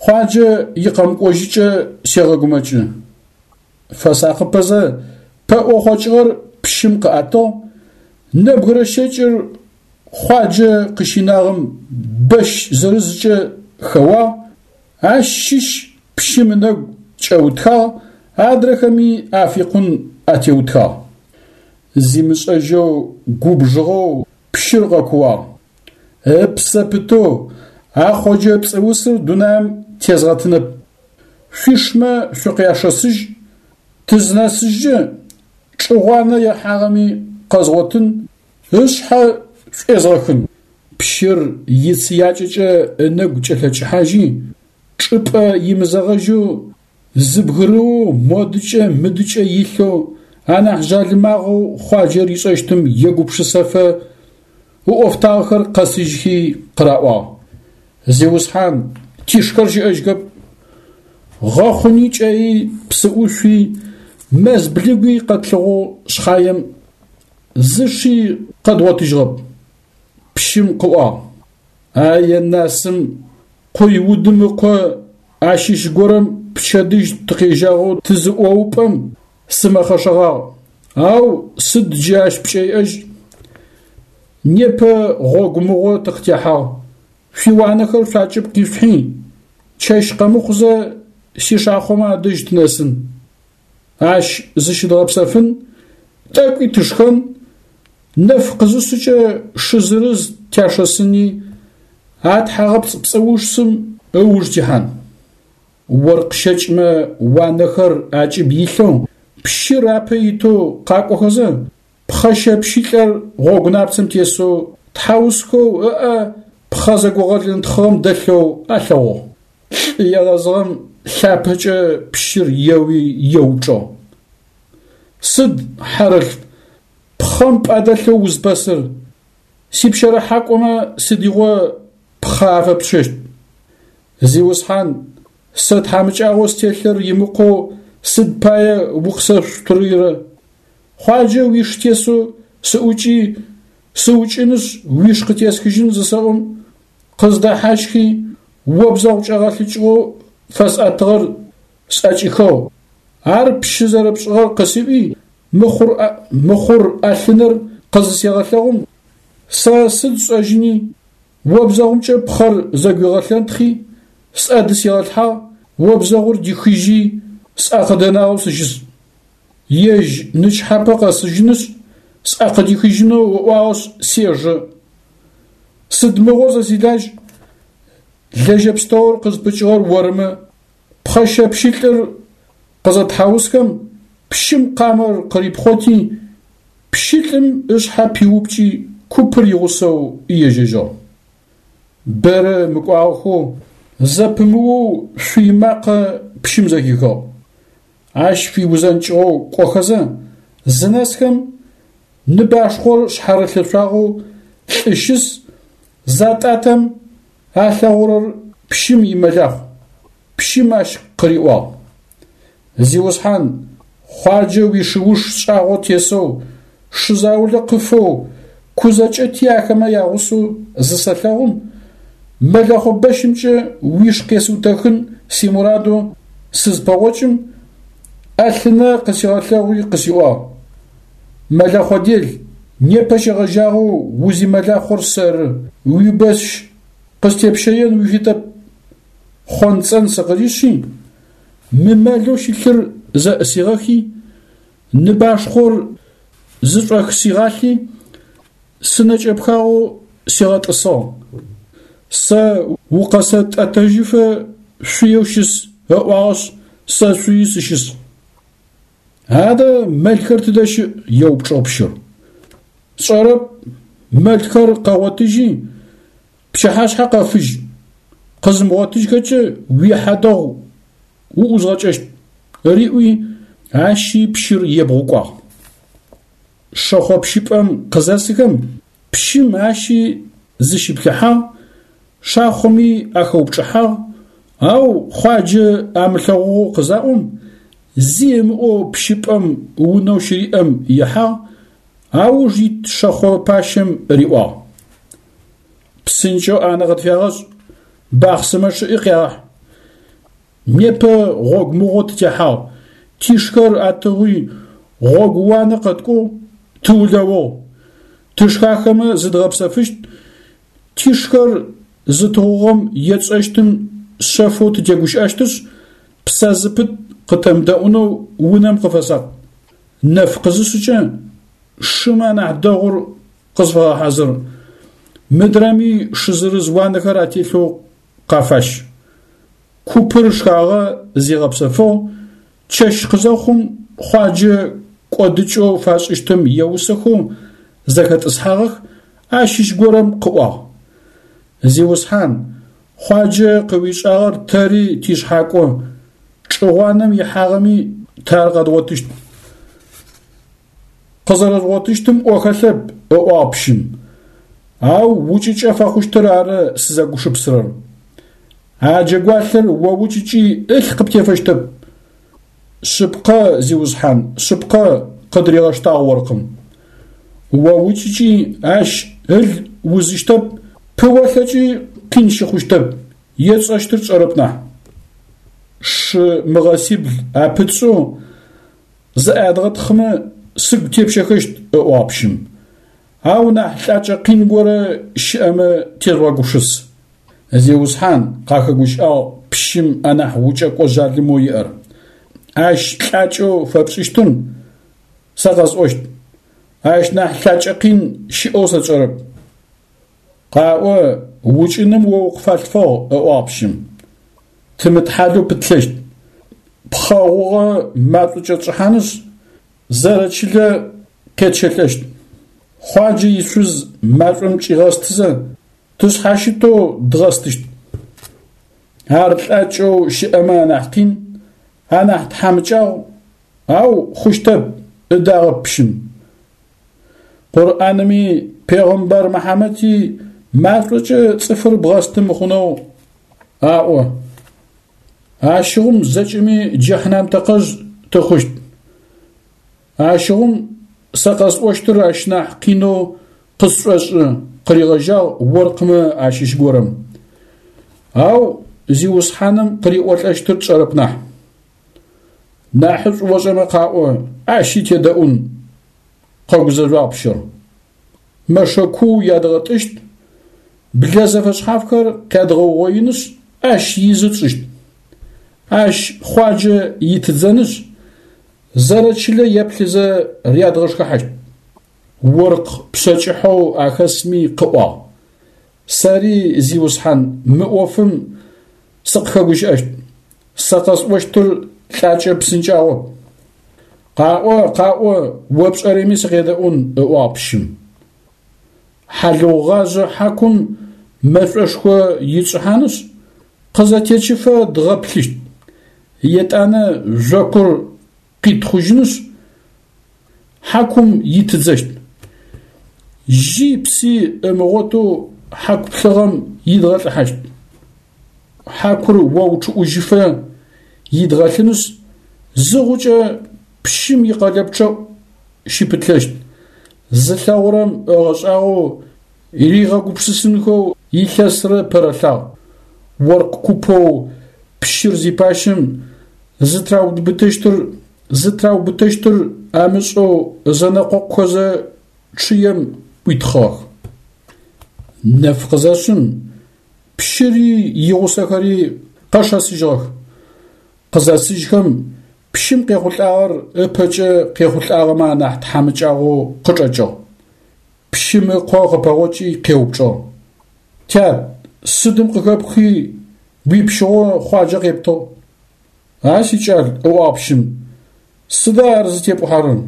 Хъуаджэ икъэмыкӏожьыкӏэ сегъэгумэкӏы. Фэсакъыпэзэ, пэӏо хъокӏыгъэр пщым къыӏэтыгъ, нэбгырэ щэкӏыр Хъуаджэ къыщинагъэм бэщ зырызкӏэ хэуагъ, ащ щыщ пщым ынэгу кӏэутхагъ, адрэхэми афикъун атеутхагъ. Зимышӏэжьэу губжыгъэу пщыр къэкууагъ. Ыпсэ пытэу, А Хъоджэ пцӏыусыр дунаим тезгъэтынэп. Шъуишмэ шъукъяшэсыжь, тызнэсыжькӏэ, чӏы гъуанэ ехьагъэми къэзгъотын, ышъхьэ шӏуезгъэхын. Пщыр ицыякӏэкӏэ ынэгу кӏэлъэкӏыхьажьи, чӏыпӏэ имызэгъэжьэу зыбгырыоу модыкӏэ-мыдыкӏэ илъэу анахь жъалымагъэу Хъуаджэ ришӏэщтым егупшысэфэ ыӏофтагъэхэр къэсыжьхи къыраӏуагъ, Зиусхьан, тишхэр щыӏэжьхэп. Гъэхъуни кӏэи, псыӏушъуи, мэз блыгуи къэтлъыхъугъ шъхьаем, зы ши къэдгъотыжьыгъэп. Пщым къыӏуагъ, А-енасын, Къуй-Удым ыкъо ащыщ горэм пчэдыжь тыкъежьагъэу тызыӏоупӏэм сымэхъэшэгъагъ, ау сыд джы ащ пкӏэ иӏэжь? Непэ гъогу мыгъо тыкъытехьагъ, шъуиуанэхэр шъуакӏыб къишъухьи, чэщ къэмыхъузэ сишахъомэ адэжь тынэсын. Ащ зыщыдгъэпсэфын, тӏэкӏуи тышхэн, нэф къызышъыкӏэ шы зырыз тяшэсыни, а тхьагъэпцӏ пцӏыусым ыуж тихьан. Оркъ щэкӏмэ уанэхэр акӏыб илъэу, пщыр апэ итэу къакӏохэзэ, пхъэшэ пщылӏэр гъогу напцэм тесэу тхьаусхэу ыӏэ пхъэ зэгогъэлэнтхъыгъэм дэлъэу алъэгъугъ. Лӏы егъэзыгъэм лъапэкӏэ пщыр еуи еупчӏыгъ. Сыд, хьэрылъф, пхъэм пӏэ дэлъэу узпэсыр? Сипщэрыхьакӏомэ сыдигъо пхъэ афэпщэщт? Зиусхьан, сэ тхьамыкӏагъоу стелъыр имыкъоу сыд пае укъысэшъутырырэ? Хъуаджэ уиш тесэу сыӏукӏи, сыукӏынышъ уиш къытесхыжьын зысэӏом, къыздэхьащхи, обзэгъу кӏэгъэлъыкӏыгъэу фэсӏэтыгъэр сӏэкӏихыгъ. Ар пщы зэрэпшӏыгъэр къысиӏуи, мыхъур ӏэлъыныр къызысегъэлъэгъум, сэ сыд сшӏэжьыни, обзэгъумкӏэ пхъэр зэгуигъэлъэнтхъи, сӏэ дысигъэлъхьагъ, обзэгъур дихыжьи, сӏэ къыдэнагъэу сыщыс. Ежь нычхьапэ къэсыжьынышъ, сӏэ къыдихыжьынэу ыӏуагъэшъ, сежэ. Сыд мыгъо сэ силажь, лэжьэ пстэур къызпыкӏыгъэр орымэ, пхъэшэ пщылӏыр къызэтхьаусхэм, пщым къамэр къырипхъоти, пщылӏым ышъхьэ пиупкӏи, купыр игъусэу ежьэжьыгъ. Бэрэ мыкӏуагъэхэу, зэпымыоу шъуй макъэ пщым зэхихыгъ. Ащ фиузэнкӏыгъэу кӏохэзэ, зынэсхэм, ныбашхъор шъхьарылъэшъуагъэу лӏы щыс, затӏатэм, алъэгъурэр пщым имэлахъу. Пщым ащ къыриӏуагъ, Зиусхьан, Хъуаджэ уишыуш шӏагъо тесэу, шы заулэ къыфэу, ку зэкӏэти ахэмэ ягъусэу зысэлъэгъум, мэлэхъо бэщымкӏэ уиш къесыутэхын симурадэу сызпэгъокӏым, ӏэлъынэ къысигъэлъэгъуи къысиӏуагъ, Мэлэхъо дел, непэ щегъэжьагъэу узимэлахъор сэры, уибэщ къыстепщэен уифитэп. Хъонцӏэн сыкъырищи, мы мэлэу щылъыр зэӏысигъэхи, ныбашхъор зышӏохсигъалъи, сынэ кӏэпхагъэу сигъэтӏысыгъ. Сэ укъэсэтӏэтэжьыфэ шъуеу щыс ыӏуагъэшъ, сэ шъуи сыщыс. Адэ мэлхэр тыдэ щыӏ? еупчӏыгъ пщыр. Сшӏэрэп, мэлхэр къэгъотыжьи, пчыхьашъхьэ къэфыжь, къызымыгъотыжьхэкӏэ уихьадэгъу уӏузгъэкӏэщт, риӏуи, ащи пщыр ебгъукӏуагъ. Шэхъо пщыпӏэм къызэсыхэм, пщым ащи зыщиплъыхьагъ, шахъоми ахэупчӏыхьагъ, ау Хъуаджэ амылъэгъугъэу къызаӏом, зи ымыӏоу пщыпӏэм унэу щыриӏэм ихьагъ, ауж ит шэхъо пащэм риӏуагъ. Псынкӏэу ӏанэ къытфягъэшӏ, бахъсымэ чъыӏи къягъэхь. Непэ гъогу мыгъо тытехьагъ, тишхэр атыгъуи, гъогууанэ къэткӏугъ, тыулэугъ. Тышхахэмэ зыдгъэпсэфыщт, тишхэр зытыгъугъэм етшӏэщтым шъэфэу тытегущыӏэщтышъ, псэ зыпыт къытэмыдэӏунэу унэм къыфэсакъ. Нэф къызышъыкӏэ, шымэ анахь дэгъур къысфэгъэхьазыр. мыдрэми шы зырыз уанэхэр ателъэу къафащ. Купыр шхагъэ зигъэпсэфыгъ, чэщ къызэхъум Хъуаджэ кӏодыкӏэу фашӏыщтым еусэхэу зэхэтӏысхьагъэх, ащыщ горэм къыӏуагъ, Зиусхьан, Хъуаджэ къыуишӏагъэр тэри тишъхьакӏо, чӏы гъуанэм ихьагъэми тэ ар къэдгъотыщт. Къызэрэжъугъотыщтым ӏо хэлъэп, ыӏуагъ пщым. Ау укӏыкӏэ фэхъущтыр ары сызэгушыпсырэр. А джэгуалъэр о укӏыкӏи ылъ къыптефэщтэп. Шъыпкъэ, зиусхьан, шъыпкъэ, къыдыригъэштагъ оркъым. О укӏыкӏи ащ ыл узыщтэп, пыолъэкӏи къин щыхъущтэп, етшӏэщтыр тшӏэрэп нахь. Шы мыгъэсибл апытшӏэу зэӏядгъэтхъымэ сыгу тепщэхэщт, ыӏуагъ пщым. Ау нахь лӏакӏэ къин горэ щыӏэмэ тежъугъэгупшыс. Зиусхьан, къахэгущыӏагъ пщым анахь укӏэкӏо жъалымэу иӏэр. Ащ лӏакӏэу фэпшӏыщтым сэ къэсӏощт. Ащ нахь лӏакӏэ къин щыӏэу сэ тшӏэрэп. Къаӏо, укӏыным о укъыфалъфыгъ, ыӏуагъ пщым. Тымытхьалэу пытлъэщт. Пхъэ гъугъэ машӏо кӏэтшӏыхьанышъ, зэрэчылэ къетщэлӏэщт. Хъуаджэ ишъуз машӏом кӏигъэстызэ, тышъхьащытэу дгъэстыщт. Ар лӏакӏэу щыӏэмэ анахь къин, анахь тхьамыкӏагъу, ау хъущтэп, ыдагъэп пщым. Къурӏанми пегъымбар Мыхьамэти машӏокӏэ цӏыфыр бгъэсты мыхъунэу аӏо. Ащыгъум зэкӏэми джэхьнам тэкъэжъ тыхъущт. Ащыгъум сэ къэсӏощтыр ащ нахь къинэу къысшӏошӏы, къыригъэжьагъ оркъмэ ащыщ горэм. Ау Зиусхьаным къыриӏолӏэщтыр тшӏэрэп нахь. Нахьышӏу ошӏэмэ къаӏо, ащи тедэӏун, къэгузэжъуагъ пщыр. Мэшэ куу ядгъэтӏыщт, блэ зэфэшъхьафхэр къядгъэугъоинышъ, ащ изы тшӏыщт. Ащ Хъуаджэ итыдзэнышъ, зэрэчылэ еплъызэ рядгъэшхыхьащт. Оркъ пшъэкӏыхьэу ахэсми къыӏуагъ. Сэри, зиусхьан, мы ӏофым сыкъыхэгущыӏэщт. Сэ къэсӏощтыр лӏакӏэ псынкӏагъоп. Къаӏо, къаӏо, о пшӏэрэми сыкъедэӏун, ыӏуагъ пщым. Хьалыгъугъажъэ хьакум мэшӏошхо итшӏыхьанышъ, къызэтечыфэ дгъэплъыщт. Етӏанэ жъокур къитхъужьынышъ, хьакум итыдзэщт. Жьи пси ымыгъотэу хьаку плъыгъэм идгъэлӏыхьащт. Хьакур оучъыӏужьыфэ идгъэлъынышъ, зы гъукӏэ пщым икъэлэпчъэӏу щыпытлъэщт. Зылъэгъурэм ыгъэшӏагъоу ригъэгупшысынхэу илъэсрэ пэрэлъагъ. Оркъ купэу пщыр зипащэм зытраубытэщтыр зытраубытэщтыр амышӏэу зэнэкъокъухэзэ чъыем ӏуитхъыгъэх. Нэф къызэшъым, пщыри игъусэхэри къэшэсыжьыгъэх. Къызэсыжьхэм, пщым къехъулӏагъэр ыпэкӏэ къехъулӏагъэмэ анахь тхьамыкӏагъоу къычӏэкӏыгъ. Пщым ыкъо къыпэгъокӏи къеупчӏыгъ. Тят, сыдым къыхэпхи уипщыгъо Хъуаджэ къептыгъ? А сикӏал, ыӏуагъ пщым, сыда ар зытепӏухьэрэр?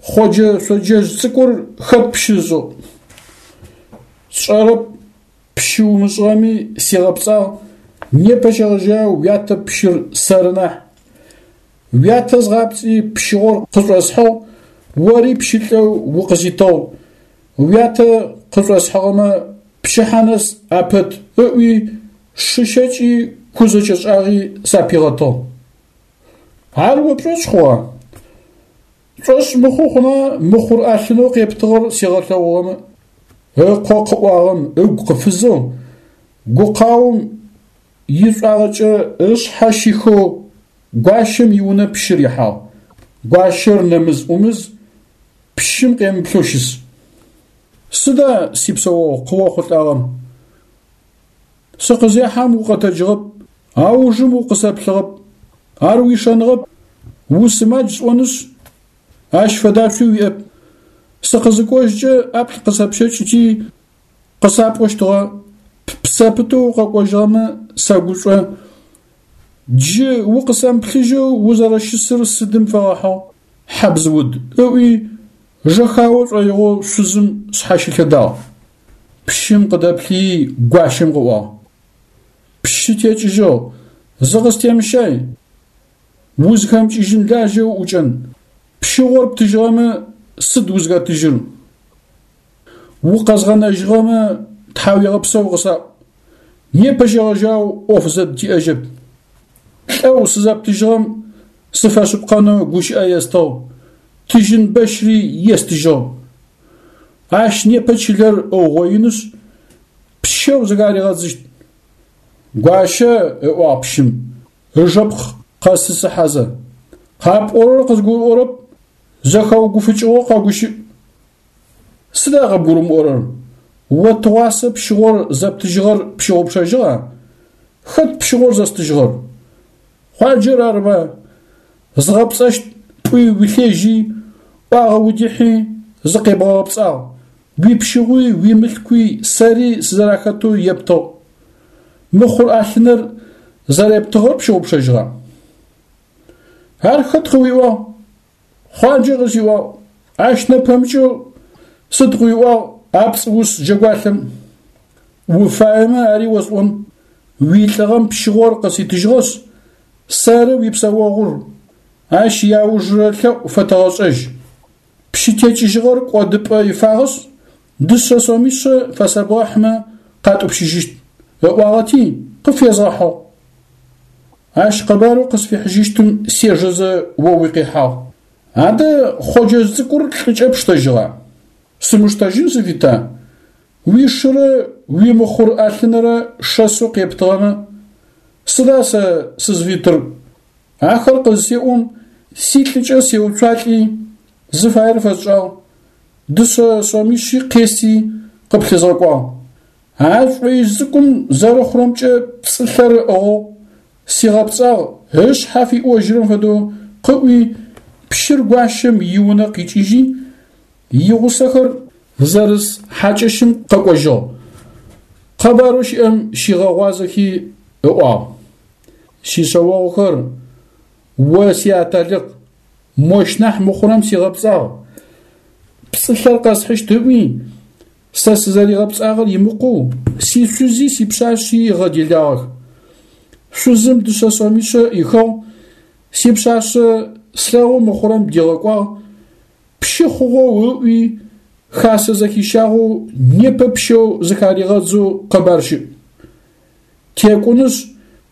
Хъоджэ шъоджэжъ цӏыкӏур хэт пщы ышӏыгъ? Сшӏэрэп, пщы умышӏыгъэми сигъэпцӏагъ, непэ щегъэжьагъэу уятэ пщыр сэры нахь. Уятэ згъапцӏи пщыгъор къышӏосхьыгъ, ори пщылӏэу укъызитыгъ. Уятэ къышӏосхьыгъэмэ пчыхьэ нэс апэт ыӏуи, шы щэкӏи ку зэкӏэшӏагъи сапигъэтыгъ. Ар о пшӏошъ хъугъа? Пшӏошъ мыхъу хъуна мыхъур ӏэлъынэу къептыгъэр сигъэлъэгъугъэмэ? Ыкъо къыӏуагъэм ыгу къыфызэу, гукъаом ишӏуагъэкӏэ ышъхьэ щихэу гуащэм иунэ пщыр ихьагъ. Гуащэр нэмыз-ӏумыз пщым къемыплъэу щыс. Сыда, сипсэогъу, къыохъулӏагъэр? Сыкъызехьэм укъэтэджыгъэп, аужым укъысэплъыгъэп. Ар уишэныгъэп, усымадж сӏонышъ, ащ фэдашъуи уиӏэп. Сыкъызыкӏожькӏэ ӏаплӏ къысэпщэкӏыти, къысапӏощтыгъэ, ппсэ пытэу укъэкӏожьыгъэмэ сэгушӏо, джы укъысэмыплъыжьэу узэрэщысыр сыдым фэгъэхьыгъ, хьабз уд, ыӏуи, жэхао шӏоигъоу шъузым шъхьащылъэдагъ. Пщым къыдэплъыий гуащэм къыӏуагъ. Пщы текӏыжьыгъ, зыкъыстемыщай, узхэмыкӏыжьын лажьэ уӏукӏэн, пщыгъор птыжьыгъэмэ сыд узхэтыжьыр? Укъэзгъэнэжьыгъэмэ тхьауегъэпсэу къысаӏу, непэ щегъэжьагъэу ӏоф зэдытиӏэжьэп. Лӏэу сызэптыжьыгъэм сыфэшъыпкъэнэу гущыӏэ естыгъ, тыжьын бэщри естыжьыгъ. Ащ непэ чылэр ыугъоинышъ, пщэу зыхаригъэдзыщт. Гуащэ, ыӏуагъ пщым, ыжэпкъ къэсысыхьэзэ, къапӏорэр къызгурыӏорэп, зэхэугуфыкӏыгъэу къэгущыӏ. Сыда къыбгурымыӏорэр? О тыгъуасэ пщыгъор зэптыжьыгъэр пщыгъупшэжьыгъа? Хэт пщыгъор зэстыжьыгъэр? Хъуаджэр арыба? Згъэпцӏэщт пӏуи уилъежьи, ӏуагъэ удихьи, зыкъебгъэгъэпцӏагъ, уипщыгъуи уимылъкуи сэри сызэрахэтэу ептыгъ. Мыхъур ӏалъыныр зэрептыгъэр пщыгъупшэжьыгъа? Ар хэт къыуиӏуагъ? Хъуаджэ къысиӏуагъ, ащ нэпэмыкӏэу сыд къыуиӏуагъ а пцӏыус джэгуалъэм? Уфаемэ ари осӏон, уилӏыгъэм пщыгъор къыситыжьыгъэшъ, сэры уипсэогъур, ащ иаужырэ лъэӏу фэтэгъэшӏэжь. Пщы текӏыжьыгъэр кӏодыпӏэ ифагъэшъ, дышъэ сомишъэ фэсэбгъэхьмэ къатӏупщыжьыщт, ыӏуагъэти, къыфезгъэхьыгъ. Ащ къэбарэу къысфихьыжьыщтым сежэзэ о уикъихьагъ. Адэ Хъоджэжъ цӏыкӏур лӏыкӏэ пштэжьыгъа? Сымыштэжьын сыфита? Уишырэ уимыхъур ӏэлъынрэ шэсэу къептыгъэмэ, сыда сэ сызфитыр? Ахэр къызысеӏом, силӏыкӏэ сеуцуалӏи, зыфаер фэсшӏагъ, дышъэ сомишъи къести къыплъызгъэкӏуагъ. А шӏоижъ цӏыкӏум зэрэхъурэмкӏэ пцӏылъэр ыӏыгъэу, сигъэпцӏагъ, ышъхьэ фиӏожьырэм фэдэу къыӏуи, пщыр гуащэм иунэ къикӏыжьи, игъусэхэр зэрыс хьакӏэщым къэкӏожьыгъ. Къэбарэу щыӏэм щигъэгъуазэхи ыӏуагъ. Сишъэогъухэр, о сиаталыкъ, мощ нахь мыхъурэм сигъэпцӏагъ, пцӏылъэр къэсхьыщт ыӏуи, Сэ сызэригъэпцӏагъэр имыкъоу, сишъузи сипшъашъи ыгъэделагъэх. Шъузым дышъэ сомишъэ ӏихыгъ, сипшъашъэ слъэгъу мыхъурэм дигъэкӏуагъ, пщы хъугъэу ыӏуи, хасэ зэхищагъэу непэ пщэу зыхаригъэдзэу къэбар щыӏ. Текӏунышъ,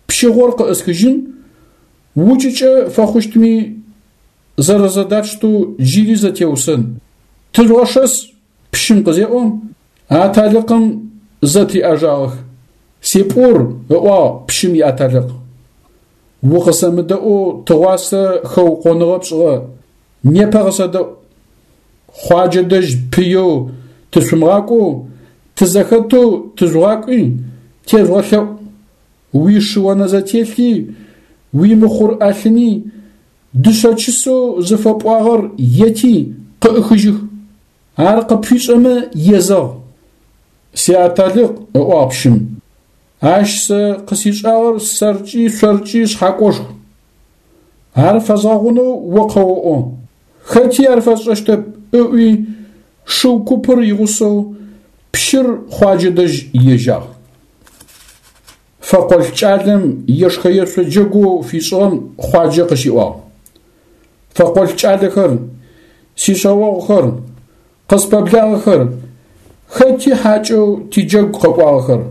пщыгъор къыӏысхыжьын, укӏыкӏэ фэхъущтми зэрэзэдатщтэу джыри зэтеусэн. Тыжъугъэшэс! Пщым къызеӏом, аталыкъым зэтриӏэжагъэх. Сипӏур, ыӏуагъ пщым иаталыкъ. Укъысэмыдэӏоу тыгъуасэ хэукъоныгъэ пшӏыгъэ, непэ къысэдэӏу. Хъуаджэ дэжь пыеу тышъумыгъакӏоу, тызэхэтэу тыжъугъакӏуи, тежъугъэлъэӏу. Уишы-онэзэтелъи, уимыхъур ӏэлъыни, дышъэ чысэу зыфэпӏуагъэр ети, къыӏыхыжьых. Ар къыпфишӏэмэ езэгъ. Сиаталыкъ, ыӏуагъ пщым, ащ сэ къысишӏагъэр сэркӏи шъоркӏи шъхьакӏошху. Ар фэзгъэгъунэу о къэоӏо. Хэти ар фэсшӏэщтэп, ыӏуи, шыу купыр игъусэу пщыр Хъуаджэ дэжь ежьагъ. Фэкъолӏ кӏалэм ешхэ-ешъо джэгоу фишӏыгъэм Хъуаджэ къыщиӏуагъ. Фэкъолӏ кӏалэхэр, сишъэогъухэр, къыспэблагъэхэр, хэти хьакӏэу тиджэгу къэкӏуагъэхэр.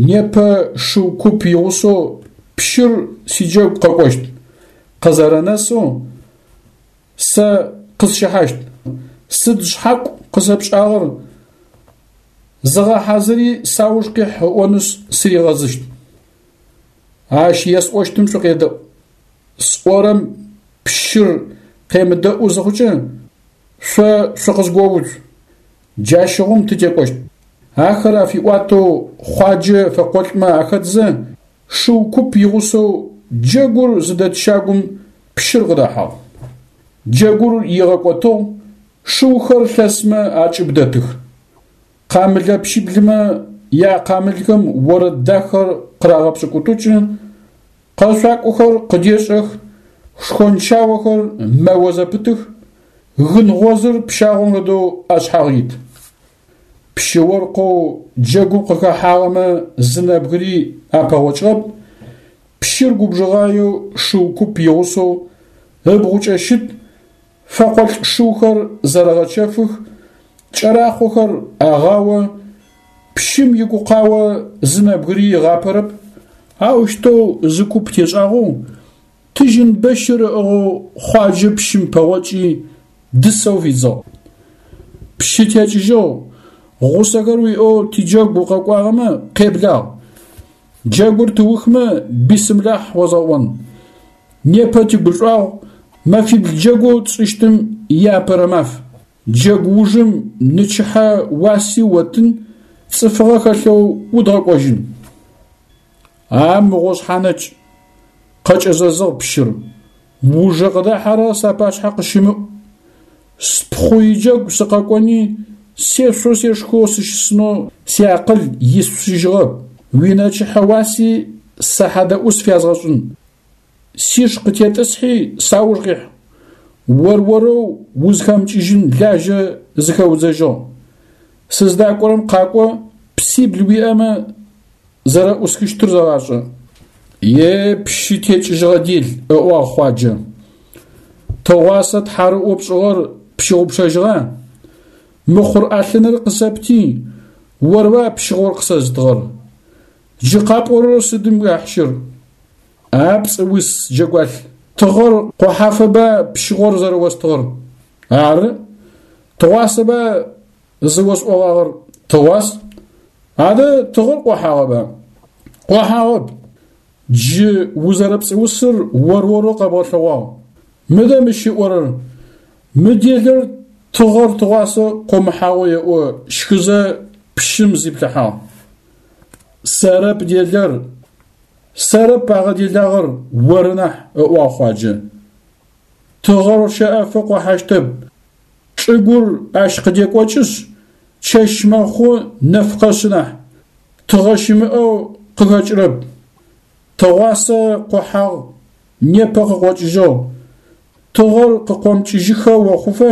Непэ шыу куп игъусэу пщыр сиджэгу къэкӏощт, къызэрэнэсэу сэ къысщыхьащт. Сыд шъхьакӏу къысэпшӏагъэр, зыгъэхьазыри сауж къихь ыӏонышъ сыригъэзыщт. Ащ есӏощтым шъукъедэӏу. Сӏорэм пщыр къемыдэӏу зыхъукӏэ, шъо шъукъызгоуцу. Джащыгъум тытекӏощт. Ахэр афиӏуатэу Хъуаджэ фэкъолӏмэ ахэтзэ, шыу куп игъусэу джэгур зыдэт щагум пщыр къыдэхьагъ. Джэгур игъэкӏотыгъ, шыухэр лъэсмэ акӏыб дэтых. Къамылэпщиблымэ якъамылхэм орэд дахэр къырагъэпшӏыкӏутӏукӏы, къэшъуакӏохэр къыдешӏэх, шхончаохэр мэо зэпытых, гын гъозыр пщагъом фэдэу ашъхьагъ ит. Пщы-оркъэу джэгум къыхэхьагъэмэ зы нэбгыри апэгъокӏыгъэп, пщыр губжыгъаеу шыу куп игъусэу ыбгъукӏэ щыт, фэкъолӏ шыухэр зэрэгъэчэфых, кӏэрахъохэр агъао, пщым игукъао зы нэбгыри ыгъапэрэп, аущтэу зы куп тешӏагъэу, тыжьын бэщыр ыӏыгъэу Хъуаджэ пщым пэгъокӏи, дысэу фидзыгъ. Пщы текӏыжьыгъ, гъусэхэр уиӏэу тиджэгу укъэкӏуагъэмэ, къеблагъ. Джэгур тыухмэ, бисымлахь озгъэӏон. Непэ тигушӏуагъу, мэфибл джэгоу тшӏыщтым иапэрэ маф. Джэгу ужым нэчыхьэ уаси оттын, цӏыфыгъэ хэлъэу удгъэкӏожьын. А мыгъо шъхьанэкӏ, къэкӏэзэзыгъ пщыр, ужэ къыдахьэрэр сапашъхьэ къыщымыӏу. Спхъу иджэгу сыкъэкӏони, сешъоу сешхэу сыщысынэу сиакъыл исщыжьыгъэп, уинэчыхьэ уаси сэ хьадэӏус фязгъэшӏын. Сиш къытетӏысхьи, сауж къихь. Ор-орэу узхэмыкӏыжьын лажьэ зыхэудзэжьыгъ. Сыздакӏорэм къакӏо, псибл уиӏэмэ, зэрэӏусхыщтыр зэгъашӏэ. Е пщы текӏыжьыгъэ дел, ыӏуагъ Хъуаджэ. Тыгъуасэ тхьарыӏо пшӏыгъэр пщыгъупшэжьыгъа? Мыхъур ӏэлъыныр къысэпти, орба пщыгъор къысэзытыгъэр? Джы къапӏорэр сыдым яхьщыр? А пцӏыус джэгуалъ, тыгъэр къохьафэба пщыгъор зэрэостыгъэр? Ары. Тыгъуасэба зыосӏогъагъэр? Тыгъуас. Адэ тыгъэр къохьагъэба? Къохьагъэп. Джы узэрэпцӏыусыр ор-орэу къэбгъэлъэгъуагъ. Мыдэ мыщ ыӏорэр, мы делэр тыгъэр тыгъуасэ къомыхьагъэу еӏо, щхызэ пщым зиплъыхьагъ. Сэрэп делэр, сэрэп агъэделагъэр, оры нахь, ыӏуагъ Хъуаджэ. Тыгъэр щэӏэфэ къохьащтэп, чӏыгур ащ къыдекӏокӏышъ, чэщ мэхъу, нэф къэшъы нахь, тыгъэ щымыӏэу къыхэкӏырэп. Тыгъуасэ къохьагъ, непэ къыкъокӏыжьыгъ. Тыгъэр къыкъомыкӏыжьыхэ охъуфэ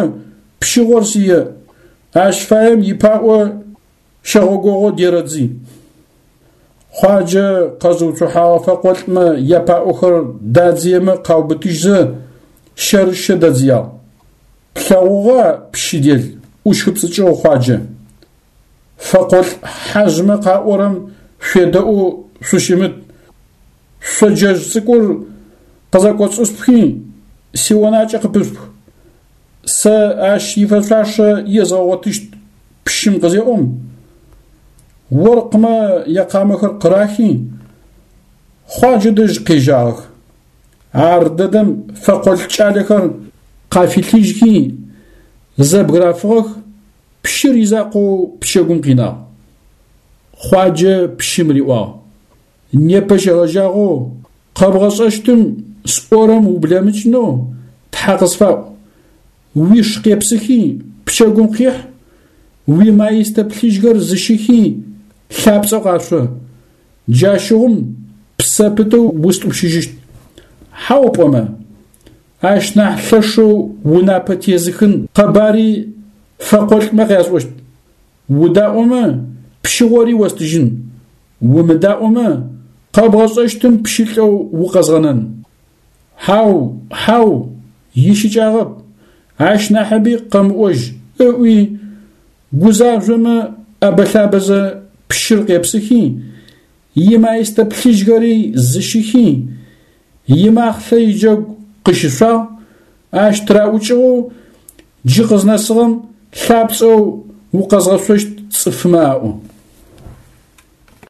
пщыгъор сие, ащ фаем ипаӏо щэгъогогъо дерэдзи. Хъуаджэ къэзыуцухьагъэ фэкъолӏмэ япаӏохэр дадзыемэ къаубытыжьзэ, щэрыщэ дадзыягъ. Плъэгъугъа, пщы дел, ӏущхыпцӏыкӏыгъ Хъуаджэ. Фэкъолӏ хьажъмэ къаӏорэм шъуедэӏоу шъущымыт, шъоджэжъ цӏыкӏур къызэкӏоцӏышъухи, сионакӏэ къыпышъух. Сэ ащ ифэшъуашэ езгъэгъотыщт пщым къызеӏом, оркъмэ якъамэхэр къырахи, Хъуаджэ дэжь къежьагъэх. Ар дэдэм фэкъолӏ кӏалэхэр къафилъыжьхи, зэбгырафыгъэх, пщыр изакъоу пчэгум къинагъ. Хъуаджэ пщым риӏуагъ. Непэ щегъэжьагъэу къэбгъэшӏэщтым сӏорэм ублэмыкӏынэу Тхьэ къысфаӏу. Уиш къепсыхи, пчэгум къихь, уимаистэ плъыжьхэр зыщыхи, лъапцӏэу къашъо. Джащыгъум псэ пытэу устӏупщыжьыщт. Хьау пӏомэ, ащ нахь лъэшэу унапэ тезыхын къэбари фэкъолӏмэ къясӏощт. Удаӏомэ, пщыгъори остыжьын, умыдаӏомэ, къэбгъэшӏэщтым пщылӏэу укъэзгъэнэн. Хьау, хьау, ищыкӏагъэп, ащ нахьыби къэмыӏожь, ыӏуи, гузажъомэ ӏэбэ-лъабэзэ пщыр къепсыхи, имаистэ плъыжьхэри зыщихи, имахълъэ иджэгу къыщышъуагъ, ащ тыраӏукӏыгъэу джы къызнэсыгъэм лъапцӏэу укъэзгъэшъощт цӏыфмэ аӏо.